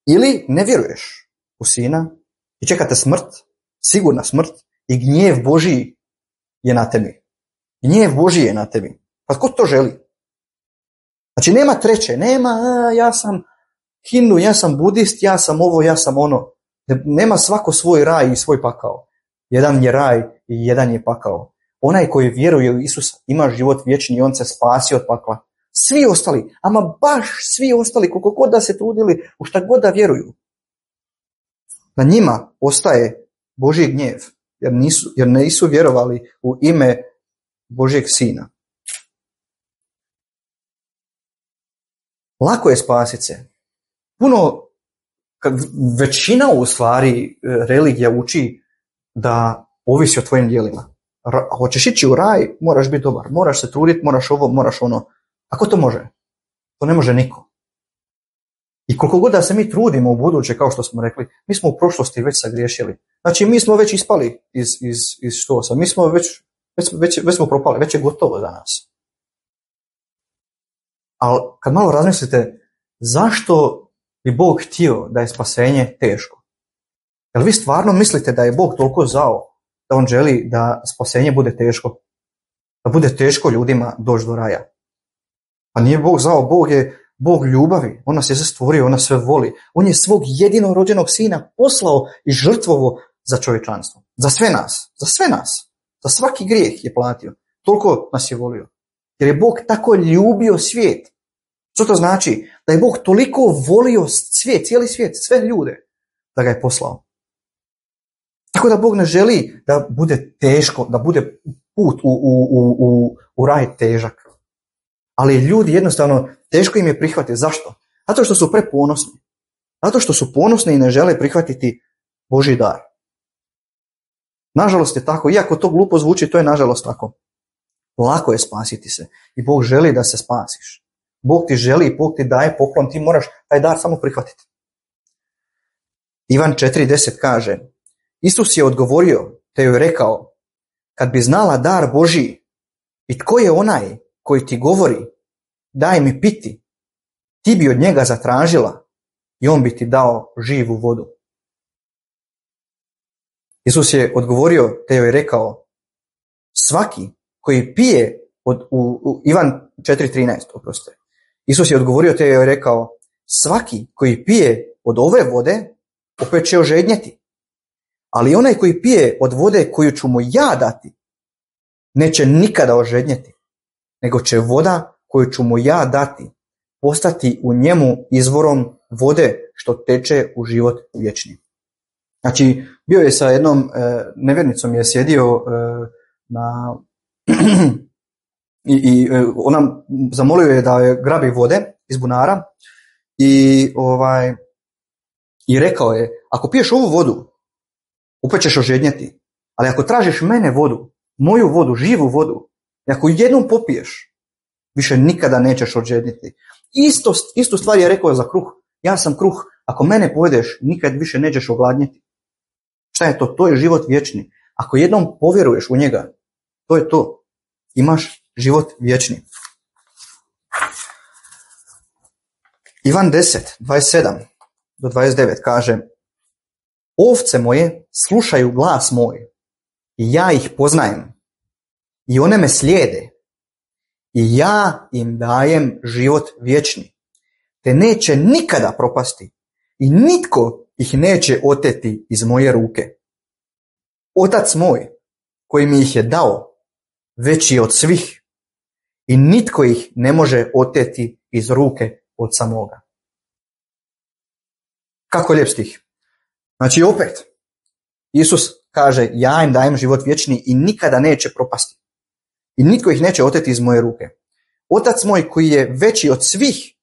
S1: ili ne vjeruješ u Sina i čekate smrt, sigurna smrt, i gnjev Božji je na tebi. Gnjev Božji je na tebi. Pa tko to želi? Znači nema treće, nema a, ja sam Hindu, ja sam budist, ja sam ovo, ja sam ono. Nema svako svoj raj i svoj pakao. Jedan je raj i jedan je pakao. Onaj koji vjeruje u Isusa ima život vječni i on se spasi od pakla. Svi ostali, ama baš svi ostali, koliko god da se trudili, u šta god da vjeruju, na njima ostaje Božji gnjev, jer nisu, jer nisu vjerovali u ime Božjeg Sina. Lako je spasiti se. Puno, većina u stvari religija uči da ovisi o tvojim djelima. Ra, hoćeš ići u raj, moraš biti dobar, moraš se truditi, moraš ovo, moraš ono. Ako to može? To ne može niko. I koliko god da se mi trudimo u buduće, kao što smo rekli, mi smo u prošlosti već sagriješili. Znači mi smo već ispali iz, iz, iz štosa, mi smo već, već, već, već smo propali, već je gotovo za nas. Ali kad malo razmislite, zašto bi Bog htio da je spasenje teško? Jel vi stvarno mislite da je Bog toliko zao da on želi da spasenje bude teško? Da bude teško ljudima doći do raja? Pa nije Bog zao, Bog je Bog ljubavi, on nas je sve stvorio, on nas sve voli. On je svog jedinog rođenog sina poslao i žrtvovo za čovječanstvo. Za sve nas, za sve nas. Za svaki grijeh je platio. Toliko nas je volio. Jer je Bog tako ljubio svijet. Što to znači? Da je Bog toliko volio svijet, cijeli svijet, sve ljude, da ga je poslao. Tako da Bog ne želi da bude teško, da bude put u, u, u, u, u raj težak. Ali ljudi jednostavno teško im je prihvatiti. Zašto? Zato što su preponosni. Zato što su ponosni i ne žele prihvatiti Božji dar. Nažalost je tako, iako to glupo zvuči, to je nažalost tako. Lako je spasiti se i Bog želi da se spasiš. Bog ti želi, Bog ti daje poklon, ti moraš taj dar samo prihvatiti. Ivan četiri deset kaže, Isus je odgovorio te joj rekao, kad bi znala dar Božji i tko je onaj koji ti govori, daj mi piti, ti bi od njega zatražila i on bi ti dao živu vodu. Isus je odgovorio te joj rekao, svaki koji pije, od, u, u Ivan četiri trinaest, oprostite. Isus je odgovorio te joj rekao, svaki koji pije od ove vode, opet će ožednjeti. Ali onaj koji pije od vode koju ću mu ja dati, neće nikada ožednjeti, nego će voda koju ću mu ja dati postati u njemu izvorom vode što teče u život vječni. Znači, bio je sa jednom e, nevjernicom, je sjedio e, na i, i ona zamolio je da je grabi vode iz bunara i ovaj i rekao je, ako piješ ovu vodu, opet ćeš ožednjeti, ali ako tražiš mene vodu, moju vodu, živu vodu, i ako jednom popiješ, više nikada nećeš ožedniti. Isto, istu stvar je rekao za kruh. Ja sam kruh, ako mene pojedeš, nikad više nećeš ogladnjeti. Šta je to? To je život vječni. Ako jednom povjeruješ u njega, to je to. Imaš život vječni. Ivan deset, dvadeset sedam do dvadeset devet kaže, ovce moje slušaju glas moj i ja ih poznajem i one me slijede i ja im dajem život vječni, te neće nikada propasti i nitko ih neće oteti iz moje ruke. Otac moj koji mi ih je dao veći je od svih i nitko ih ne može oteti iz ruke oca moga. Kako lijep stih. Znači opet, Isus kaže, ja im dajem život vječni i nikada neće propasti. I nitko ih neće oteti iz moje ruke. Otac moj koji je veći od svih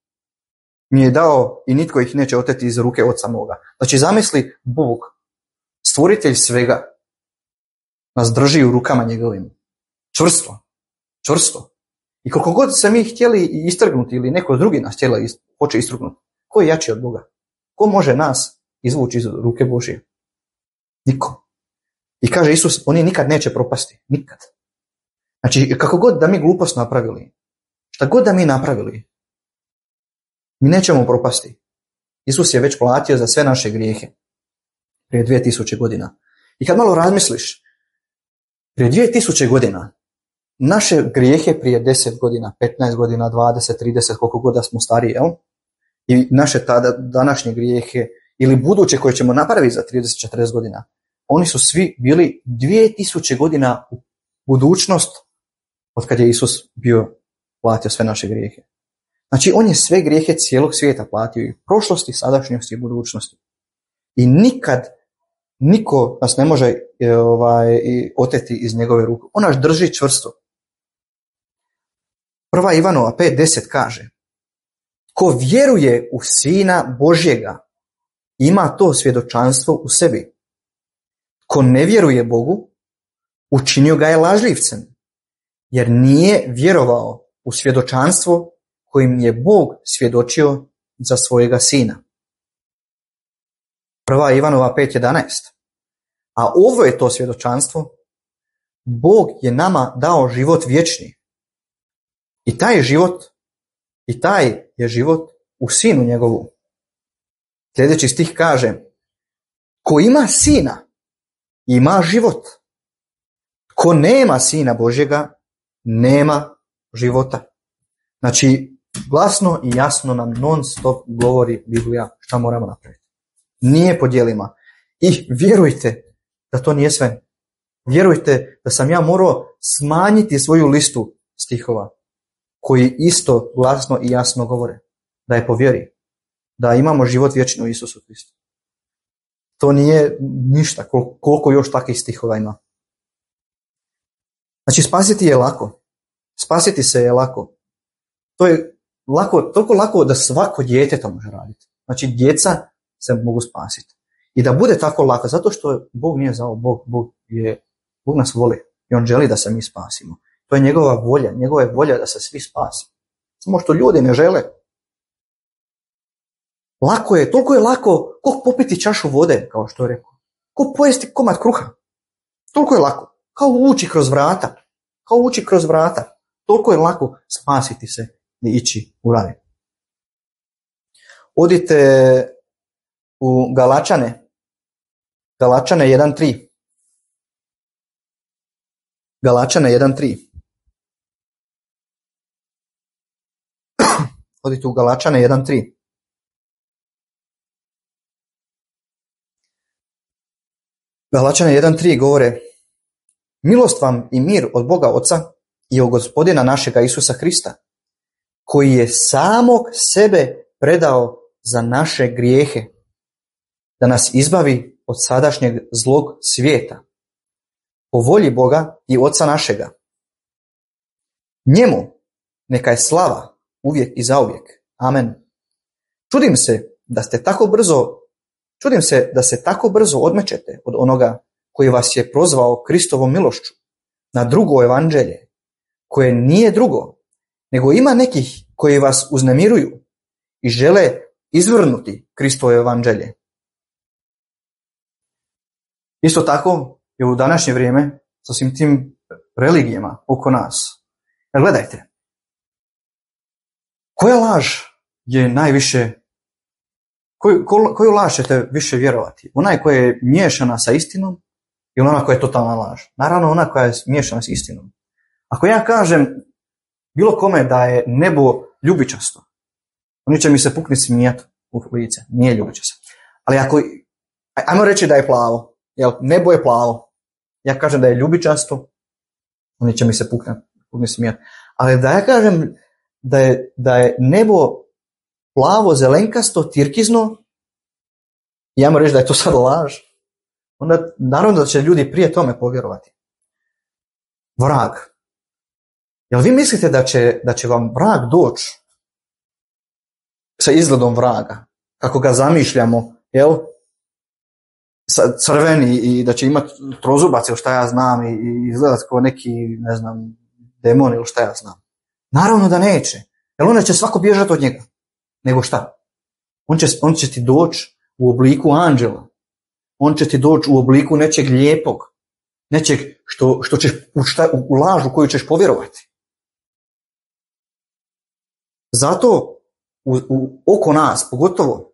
S1: mi je dao i nitko ih neće oteti iz ruke oca moga. Znači zamisli, Bog, stvoritelj svega, nas drži u rukama njegovim. Čvrsto. Čvrsto. I koliko god se mi htjeli istrgnuti ili neko drugi nas htjela hoće istrgnuti, ko je jači od Boga? Ko može nas izvući iz ruke Božje? Niko. I kaže Isus, oni nikad neće propasti. Nikad. Znači, kako god da mi glupost napravili, šta god da mi napravili, mi nećemo propasti. Isus je već platio za sve naše grijehe. Prije dvije tisuće godina. I kad malo razmisliš, prije dvije tisuće godina, naše grijehe prije deset godina, petnaest godina, dvadeset, trideset, koliko god da smo stariji, jel? I naše tada, današnje grijehe ili buduće koje ćemo napraviti za trideset četrdeset godina, oni su svi bili dvije tisuće godina u budućnost od kad je Isus bio platio sve naše grijehe. Znači, on je sve grijehe cijelog svijeta platio i prošlosti, sadašnjosti i budućnosti. I nikad niko nas ne može ovaj, oteti iz njegove ruke. On nas drži čvrsto. Prva Ivanova pet deset kaže, ko vjeruje u Sina Božjega, ima to svjedočanstvo u sebi. Ko ne vjeruje Bogu, učinio ga je lažljivcem, jer nije vjerovao u svjedočanstvo kojim je Bog svjedočio za svojega Sina. Prva Ivanova pet jedanaest. A ovo je to svjedočanstvo, Bog je nama dao život vječni. I taj život, i taj je život u Sinu njegovu. Sljedeći stih kaže, ko ima Sina, ima život. Ko nema Sina Božjega, nema života. Znači, Glasno i jasno nam non stop govori Biblija šta moramo napraviti. Nije po djelima. I vjerujte da to nije sve. Vjerujte da sam ja morao smanjiti svoju listu stihova koji isto glasno i jasno govore da je po vjeri, da imamo život vječni u Isusu Kristu. To nije ništa, koliko još takvih stihova ima. Znači, spasiti je lako. Spasiti se je lako. To je lako, toliko lako da svako dijete to može raditi. Znači, djeca se mogu spasiti. I da bude tako lako, zato što Bog nije zao, Bog, Bog, je, Bog nas voli i On želi da se mi spasimo. To je njegova volja, njegova je volja da se svi spasi. Samo što ljudi ne žele. Lako je, toliko je lako, koliko popiti čašu vode, kao što je rekao. Ko pojesti komad kruha. Toliko je lako. Kao ući kroz vrata. Kao ući kroz vrata. Toliko je lako spasiti se i ići u raj. Odite u Galačane. Galačane jedan tri. Galačane jedan tri. Odite u Galačane jedan tri. Galačane jedan tri govore: milost vam i mir od Boga Oca i od Gospodina našega Isusa Krista, koji je samog sebe predao za naše grijehe, da nas izbavi od sadašnjeg zlog svijeta, po volji Boga i Oca našega. Njemu neka je slava uvijek i zauvijek. Amen. Čudim se da ste tako brzo, čudim se da se tako brzo odmećete od onoga koji vas je prozvao Kristovom milošću na drugo evanđelje, koje nije drugo, nego ima nekih koji vas uznemiruju i žele izvrnuti Kristovo evanđelje. Isto tako je u današnje vrijeme sa svim tim religijama oko nas. Jer gledajte, koja laž je najviše, koju, koju laž ćete više vjerovati? Ona koja je miješana sa istinom ili ona koja je totalna laž? Naravno ona koja je miješana s istinom. Ako ja kažem bilo kome da je nebo ljubičasto, oni će mi se pukniti smijati u lice. Nije ljubičasto. Ali ako, ajmo reći da je plavo, jel, nebo je plavo, ja kažem da je ljubičasto, oni će mi se pukniti pukniti smijati. Ali da ja kažem da je, da je nebo plavo, zelenkasto, tirkizno, i ajmo reći da je to sad laž, onda naravno da će ljudi prije tome povjerovati. Vrag. Jel vi mislite da će, da će vam vrag doći sa izgledom vraga, kako ga zamišljamo, jel? Crveni i da će imati trozubac ili šta ja znam i, i izgledati kao neki, ne znam, demon ili šta ja znam. Naravno da neće. Jer onda će svako bježati od njega. Nego šta? On će, on će ti doći u obliku anđela. On će ti doći u obliku nečeg lijepog. Nečeg što, što ćeš, u, šta, u lažu koju ćeš povjerovati. Zato u, u, oko nas, pogotovo,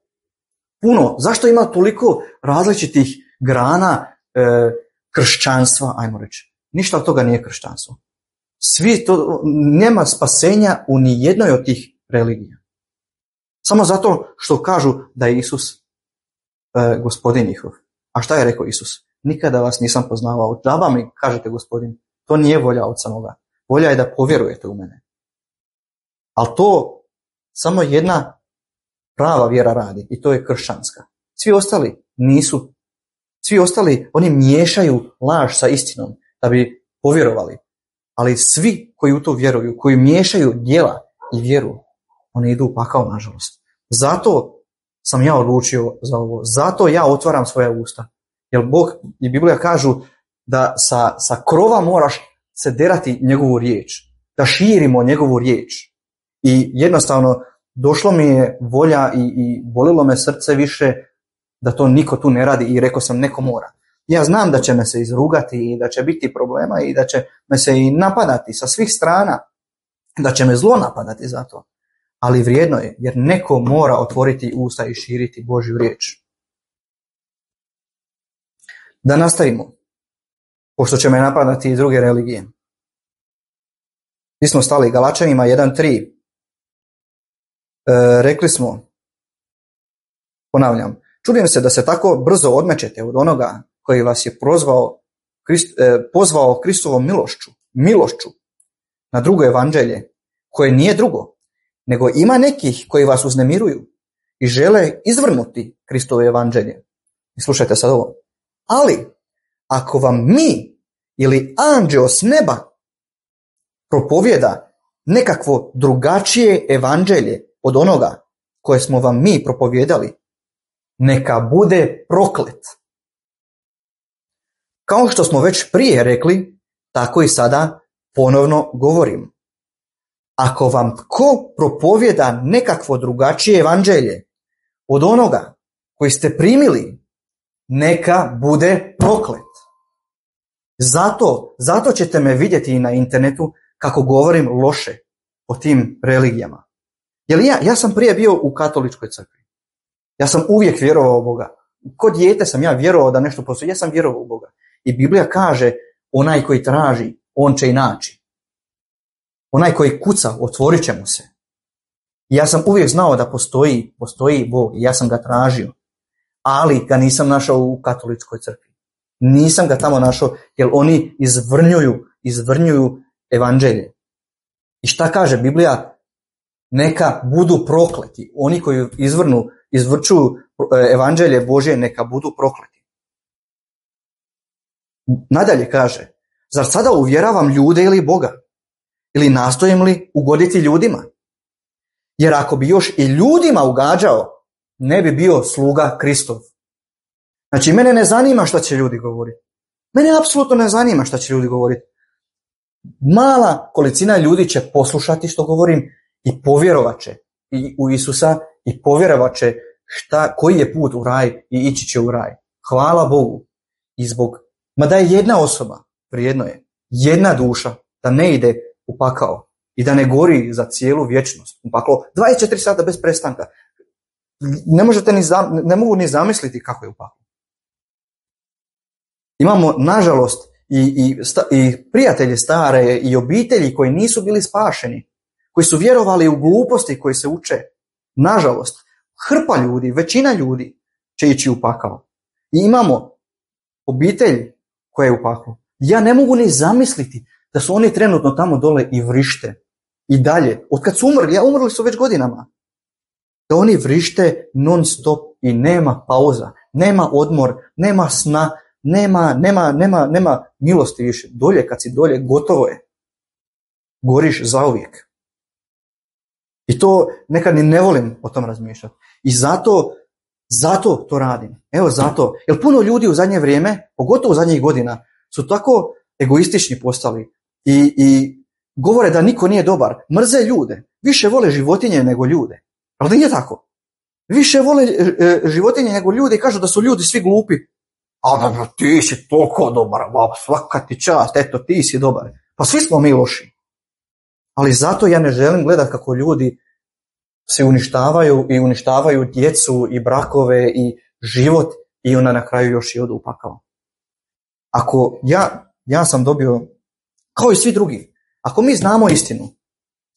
S1: puno, zašto ima toliko različitih grana e, kršćanstva, ajmo reći. Ništa od toga nije kršćanstvo. Svi to, nema spasenja u ni jednoj od tih religija. Samo zato što kažu da je Isus e, gospodin njihov. A šta je rekao Isus? Nikada vas nisam poznavao. Džaba mi kažete gospodin, to nije volja od samoga. Volja je da povjerujete u mene. Ali to samo jedna prava vjera radi i to je kršćanska. Svi ostali nisu. Svi ostali, oni miješaju laž sa istinom da bi povjerovali. Ali svi koji u to vjeruju, koji miješaju djela i vjeru, oni idu u pakao, nažalost. Zato sam ja odlučio za ovo. Zato ja otvaram svoja usta. Jer Bog i Biblija kažu da sa, sa krova moraš se derati njegovu riječ. Da širimo njegovu riječ. I jednostavno došlo mi je volja i, i bolilo me srce više da to niko tu ne radi i rekao sam neko mora. Ja znam da će me se izrugati i da će biti problema i da će me se i napadati sa svih strana. Da će me zlo napadati za to. Ali vrijedno je jer neko mora otvoriti usta i širiti Božju riječ. Da nastavimo. Pošto će me napadati i druge religije. Mi smo stali Galačanima jedan tri. E, rekli smo, ponavljam, čudim se da se tako brzo odmećete od onoga koji vas je prozvao, Krist, e, pozvao Kristovom milošću, milošću na drugo evanđelje, koje nije drugo, nego ima nekih koji vas uznemiruju i žele izvrnuti Kristovo evanđelje. I slušajte sad ovo. Ali, ako vam mi ili anđeo s neba propovjeda nekakvo drugačije evanđelje od onoga koje smo vam mi propovjedali, neka bude proklet. Kao što smo već prije rekli, tako i sada ponovno govorim. Ako vam tko propovjeda nekakvo drugačije evanđelje od onoga koji ste primili, neka bude proklet. Zato, zato ćete me vidjeti i na internetu kako govorim loše o tim religijama. Jer ja, ja sam prije bio u katoličkoj crkvi. Ja sam uvijek vjerovao u Boga. Ko dijete sam ja vjerovao da nešto postoji. Ja sam vjerovao u Boga. I Biblija kaže, onaj koji traži, on će i naći. Onaj koji kuca, otvorit će mu se. I ja sam uvijek znao da postoji, postoji Bog i ja sam ga tražio. Ali ga nisam našao u katoličkoj crkvi. Nisam ga tamo našao jer oni izvrnjuju, izvrnjuju evanđelje. I šta kaže Biblija? Neka budu prokleti. Oni koji izvrnu, izvrčuju evanđelje Božje, neka budu prokleti. Nadalje kaže, zar sada uvjeravam ljude ili Boga? Ili nastojim li ugoditi ljudima? Jer ako bi još i ljudima ugađao, ne bi bio sluga Kristov. Znači, mene ne zanima šta će ljudi govoriti. Mene apsolutno ne zanima šta će ljudi govoriti. Mala kolicina ljudi će poslušati što govorim i povjerovat će i u Isusa i povjerovat će šta, koji je put u raj i ići će u raj. Hvala Bogu. I zbog, mada je jedna osoba, vrijedno je, jedna duša da ne ide u pakao i da ne gori za cijelu vječnost u paklo dvadeset četiri sata bez prestanka. Ne možete ni zam, ne mogu ni zamisliti kako je u paklu. Imamo, nažalost, i, i, sta, i prijatelje stare i obitelji koji nisu bili spašeni, koji su vjerovali u gluposti koji se uče. Nažalost, hrpa ljudi, većina ljudi će ići u pakao. I imamo obitelj koja je u paklu. Ja ne mogu ni zamisliti da su oni trenutno tamo dole i vrište. I dalje. Od kad su umrli, ja umrli su već godinama. Da oni vrište non stop i nema pauza, nema odmor, nema sna, nema, nema, nema, nema milosti više. Dolje, kad si dolje, gotovo je. Goriš zauvijek. I to nekad ni ne volim o tom razmišljati. I zato, zato to radim. Evo zato. Jer puno ljudi u zadnje vrijeme, pogotovo u zadnjih godina, su tako egoistični postali i, i govore da niko nije dobar. Mrze ljude. Više vole životinje nego ljude. Ali da nije tako. Više vole e, životinje nego ljude i kažu da su ljudi svi glupi. A da, ti si toliko dobar, baba, svaka ti čast, eto ti si dobar. Pa svi smo mi loši. Ali zato ja ne želim gledati kako ljudi se uništavaju i uništavaju djecu i brakove i život i onda na kraju još i odu u pakao. Ako ja, ja sam dobio, kao i svi drugi, ako mi znamo istinu,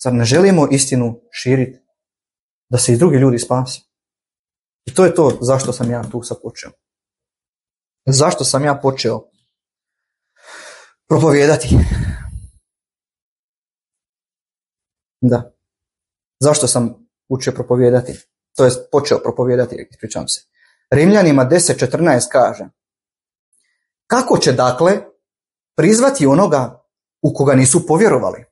S1: zar ne želimo istinu širiti, da se i drugi ljudi spase? I to je to zašto sam ja tu sad počeo. Zašto sam ja počeo propovijedati? Da. Zašto sam učio propovijedati? To jest počeo propovijedati, ispričavam se. Rimljanima deset četrnaest kaže: kako će dakle prizvati onoga u koga nisu povjerovali?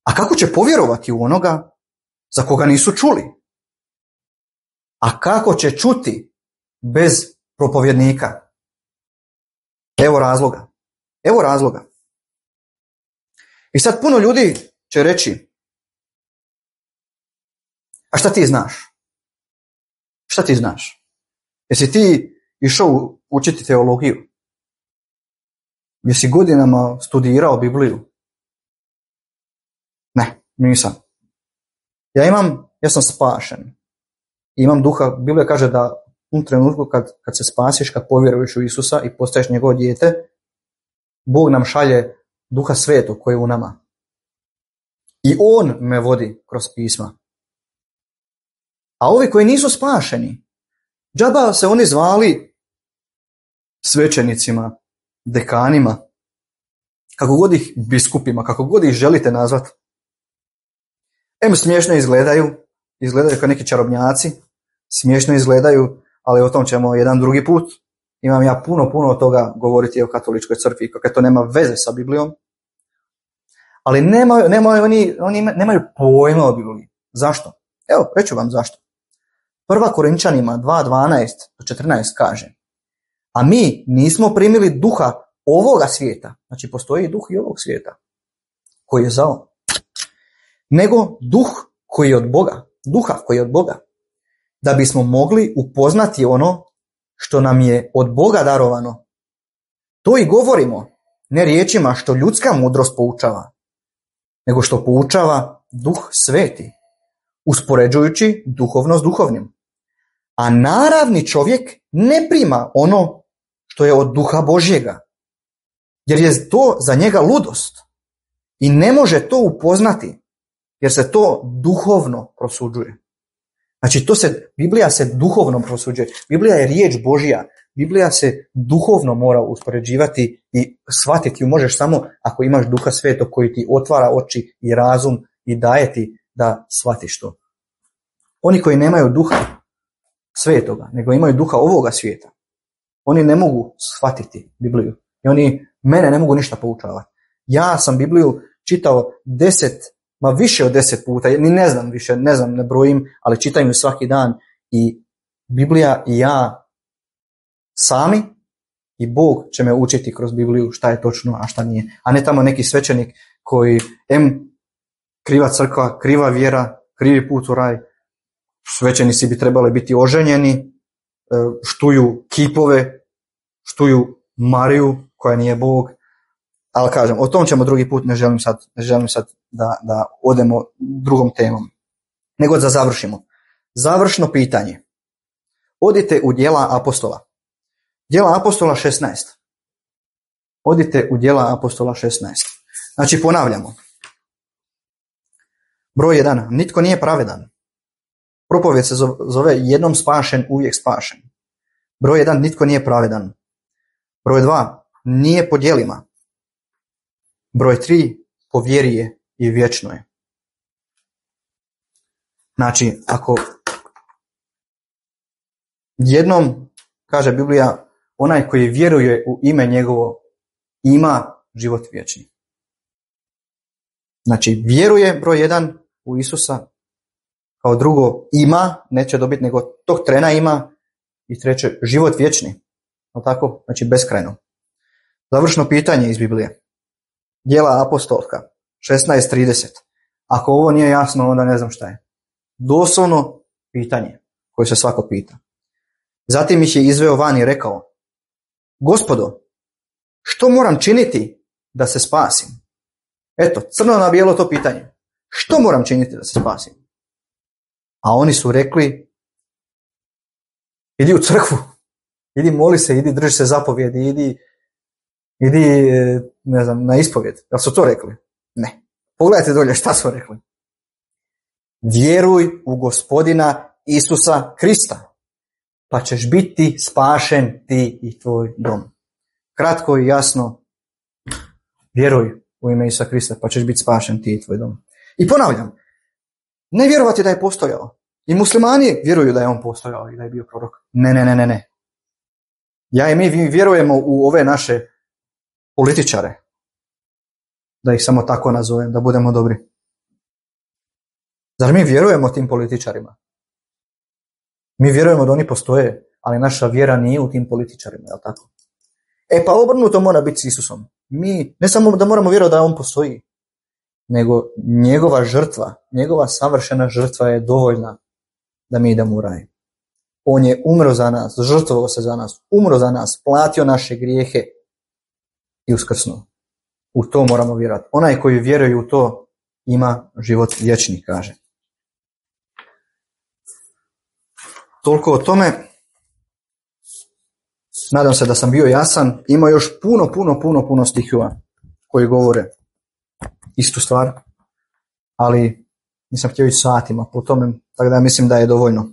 S1: A kako će povjerovati u onoga za koga nisu čuli? A kako će čuti bez propovjednika? Evo razloga. Evo razloga. I sad puno ljudi će reći: a šta ti znaš? Šta ti znaš? Jesi ti išao učiti teologiju? Jesi godinama studirao Bibliju? Ne, nisam. Ja imam, ja sam spašen. Imam duha, Biblija kaže da u trenutku kad, kad se spasiš, kad povjeruješ u Isusa i postaješ njegovo dijete, Bog nam šalje Duha Svetog koji je u nama. I On me vodi kroz pisma. A ovi koji nisu spašeni, džaba se oni zvali svećenicima, dekanima, kako god ih biskupima, kako god ih želite nazvati. Em smiješno izgledaju, izgledaju kao neki čarobnjaci, smiješno izgledaju, ali o tom ćemo jedan drugi put. Imam ja puno, puno od toga govoriti o katoličkoj crkvi, kako to nema veze sa Biblijom. Ali nemaju, nemaju, oni, oni nemaju pojma o Bibliji. Zašto? Evo, reću vam zašto. Prva Korinčanima dva dvanaest do četrnaest kaže: a mi nismo primili duha ovoga svijeta, znači postoji duh i ovog svijeta, koji je zao, nego duh koji je od Boga, duha koji je od Boga, da bismo mogli upoznati ono što nam je od Boga darovano. To i govorimo, ne riječima što ljudska mudrost poučava, nego što poučava Duh Sveti, uspoređujući duhovno s duhovnim. A naravni čovjek ne prima ono što je od Duha Božjega, jer je to za njega ludost i ne može to upoznati, jer se to duhovno prosuđuje. Znači, to se, Biblija se duhovno prosuđuje. Biblija je riječ Božja. Biblija se duhovno mora uspoređivati i shvatiti ju možeš samo ako imaš Duha Svetog koji ti otvara oči i razum i daje ti da shvatiš to. Oni koji nemaju Duha Svetoga, nego imaju duha ovoga svijeta, oni ne mogu shvatiti Bibliju. I oni mene ne mogu ništa poučavati. Ja sam Bibliju čitao deset, ma više od deset puta, ni ne znam više, ne znam, ne brojim, ali čitam ju svaki dan i Biblija i ja sami i Bog će me učiti kroz Bibliju šta je točno, a šta nije. A ne tamo neki svećenik koji em kriva crkva, kriva vjera, krivi put u raj. Svećenici bi trebali biti oženjeni, štuju kipove, štuju Mariju koja nije Bog. Ali kažem, o tom ćemo drugi put, ne želim sad, ne želim sad da, da odemo drugom temom. Nego da završimo. Završno pitanje. Odite u Djela apostola. Djela apostola šesnaest. Odite u Djela apostola šesnaest. Znači ponavljamo. Broj jedan. Nitko nije pravedan. Propovijed se zove jednom spašen, uvijek spašen. Broj jedan. Nitko nije pravedan. Broj dva. Nije po djelima. Broj tri. Po vjeri je i vječno je. Znači, ako jednom, kaže Biblija, onaj koji vjeruje u ime njegovo ima život vječni. Znači, vjeruje broj jedan u Isusa, kao drugo ima, neće dobiti, nego tog trena ima, i treće, život vječni. No tako, znači beskrajno. Završno pitanje iz Biblije. Djela apostolska, šesnaest trideset. Ako ovo nije jasno, onda ne znam šta je. Doslovno pitanje koje se svako pita. Zatim ih je izveo van i rekao: Gospodo, što moram činiti da se spasim? Eto, crno na bijelo to pitanje. Što moram činiti da se spasim? A oni su rekli: idi u crkvu, idi moli se, idi drži se zapovjedi, idi, idi ne znam, na ispovjed. Jel su to rekli? Ne. Pogledajte dolje šta su rekli. Vjeruj u Gospodina Isusa Krista, pa ćeš biti spašen ti i tvoj dom. Kratko i jasno, vjeruj u ime Isusa Krista, pa ćeš biti spašen ti i tvoj dom. I ponavljam, ne vjerovati da je postojao. I muslimani vjeruju da je on postojao i da je bio prorok. Ne, ne, ne, ne, ne. Ja i mi vjerujemo u ove naše političare. Da ih samo tako nazovem, da budemo dobri. Zar mi vjerujemo tim političarima? Mi vjerujemo da oni postoje, ali naša vjera nije u tim političarima, je li tako? E pa obrnuto mora biti s Isusom. Mi ne samo da moramo vjerovati da on postoji, nego njegova žrtva, njegova savršena žrtva je dovoljna da mi idemo u raj. On je umro za nas, žrtvovao se za nas, umro za nas, platio naše grijehe i uskrsnuo. U to moramo vjerovati. Onaj koji vjeruje u to ima život vječni, kaže. Toliko o tome. Nadam se da sam bio jasan. Ima još puno, puno, puno, puno stihova koji govore istu stvar. Ali nisam htio ići satima po tome, tako da mislim da je dovoljno.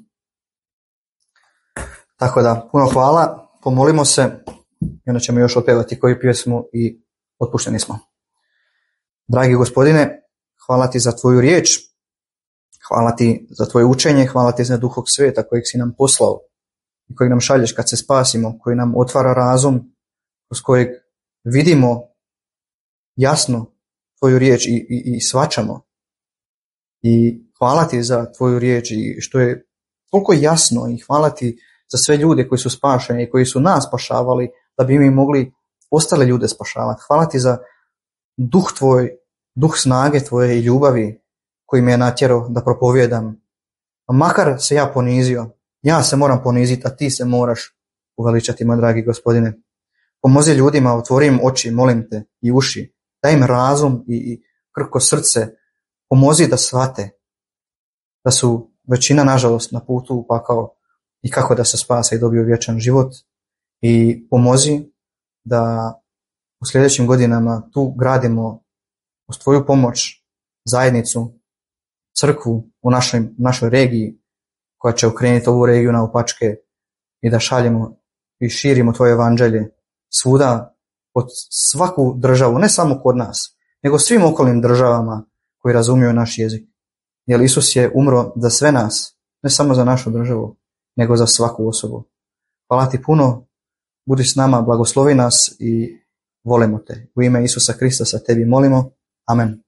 S1: Tako da, puno hvala, pomolimo se i onda ćemo još otpevati koju pjesmu i otpušteni smo. Dragi Gospodine, hvala ti za tvoju riječ, hvala ti za tvoje učenje, hvala ti za Duhog Sveta kojeg si nam poslao i kojeg nam šalješ kad se spasimo, koji nam otvara razum, kroz kojeg vidimo jasno tvoju riječ i, i, i svačamo. I hvala ti za tvoju riječ i što je toliko jasno, i hvala ti za sve ljude koji su spašeni i koji su nas spašavali da bi mi mogli ostale ljude spašavati. Hvala ti za duh tvoj, duh snage tvoje i ljubavi koji me je natjerao da propovijedam. A makar se ja ponizio, ja se moram poniziti, a ti se moraš uveličati, moj dragi Gospodine. Pomozi ljudima, otvori im oči, molim te, i uši, daj im razum i, i krko srce, pomozi da shvate da su većina, nažalost, na putu u pakao i kako da se spase i dobiju vječan život, i pomozi da u sljedećim godinama tu gradimo uz tvoju pomoć zajednicu, crkvu u našoj, našoj regiji koja će okrenuti ovu regiju naopačke i da šaljemo i širimo tvoje evanđelje svuda, pod svaku državu, ne samo kod nas, nego svim okolnim državama koji razumiju naš jezik. Jer Isus je umro za sve nas, ne samo za našu državu, nego za svaku osobu. Hvala ti puno, budi s nama, blagoslovi nas i volimo te. U ime Isusa Krista sa tebi molimo. Amen.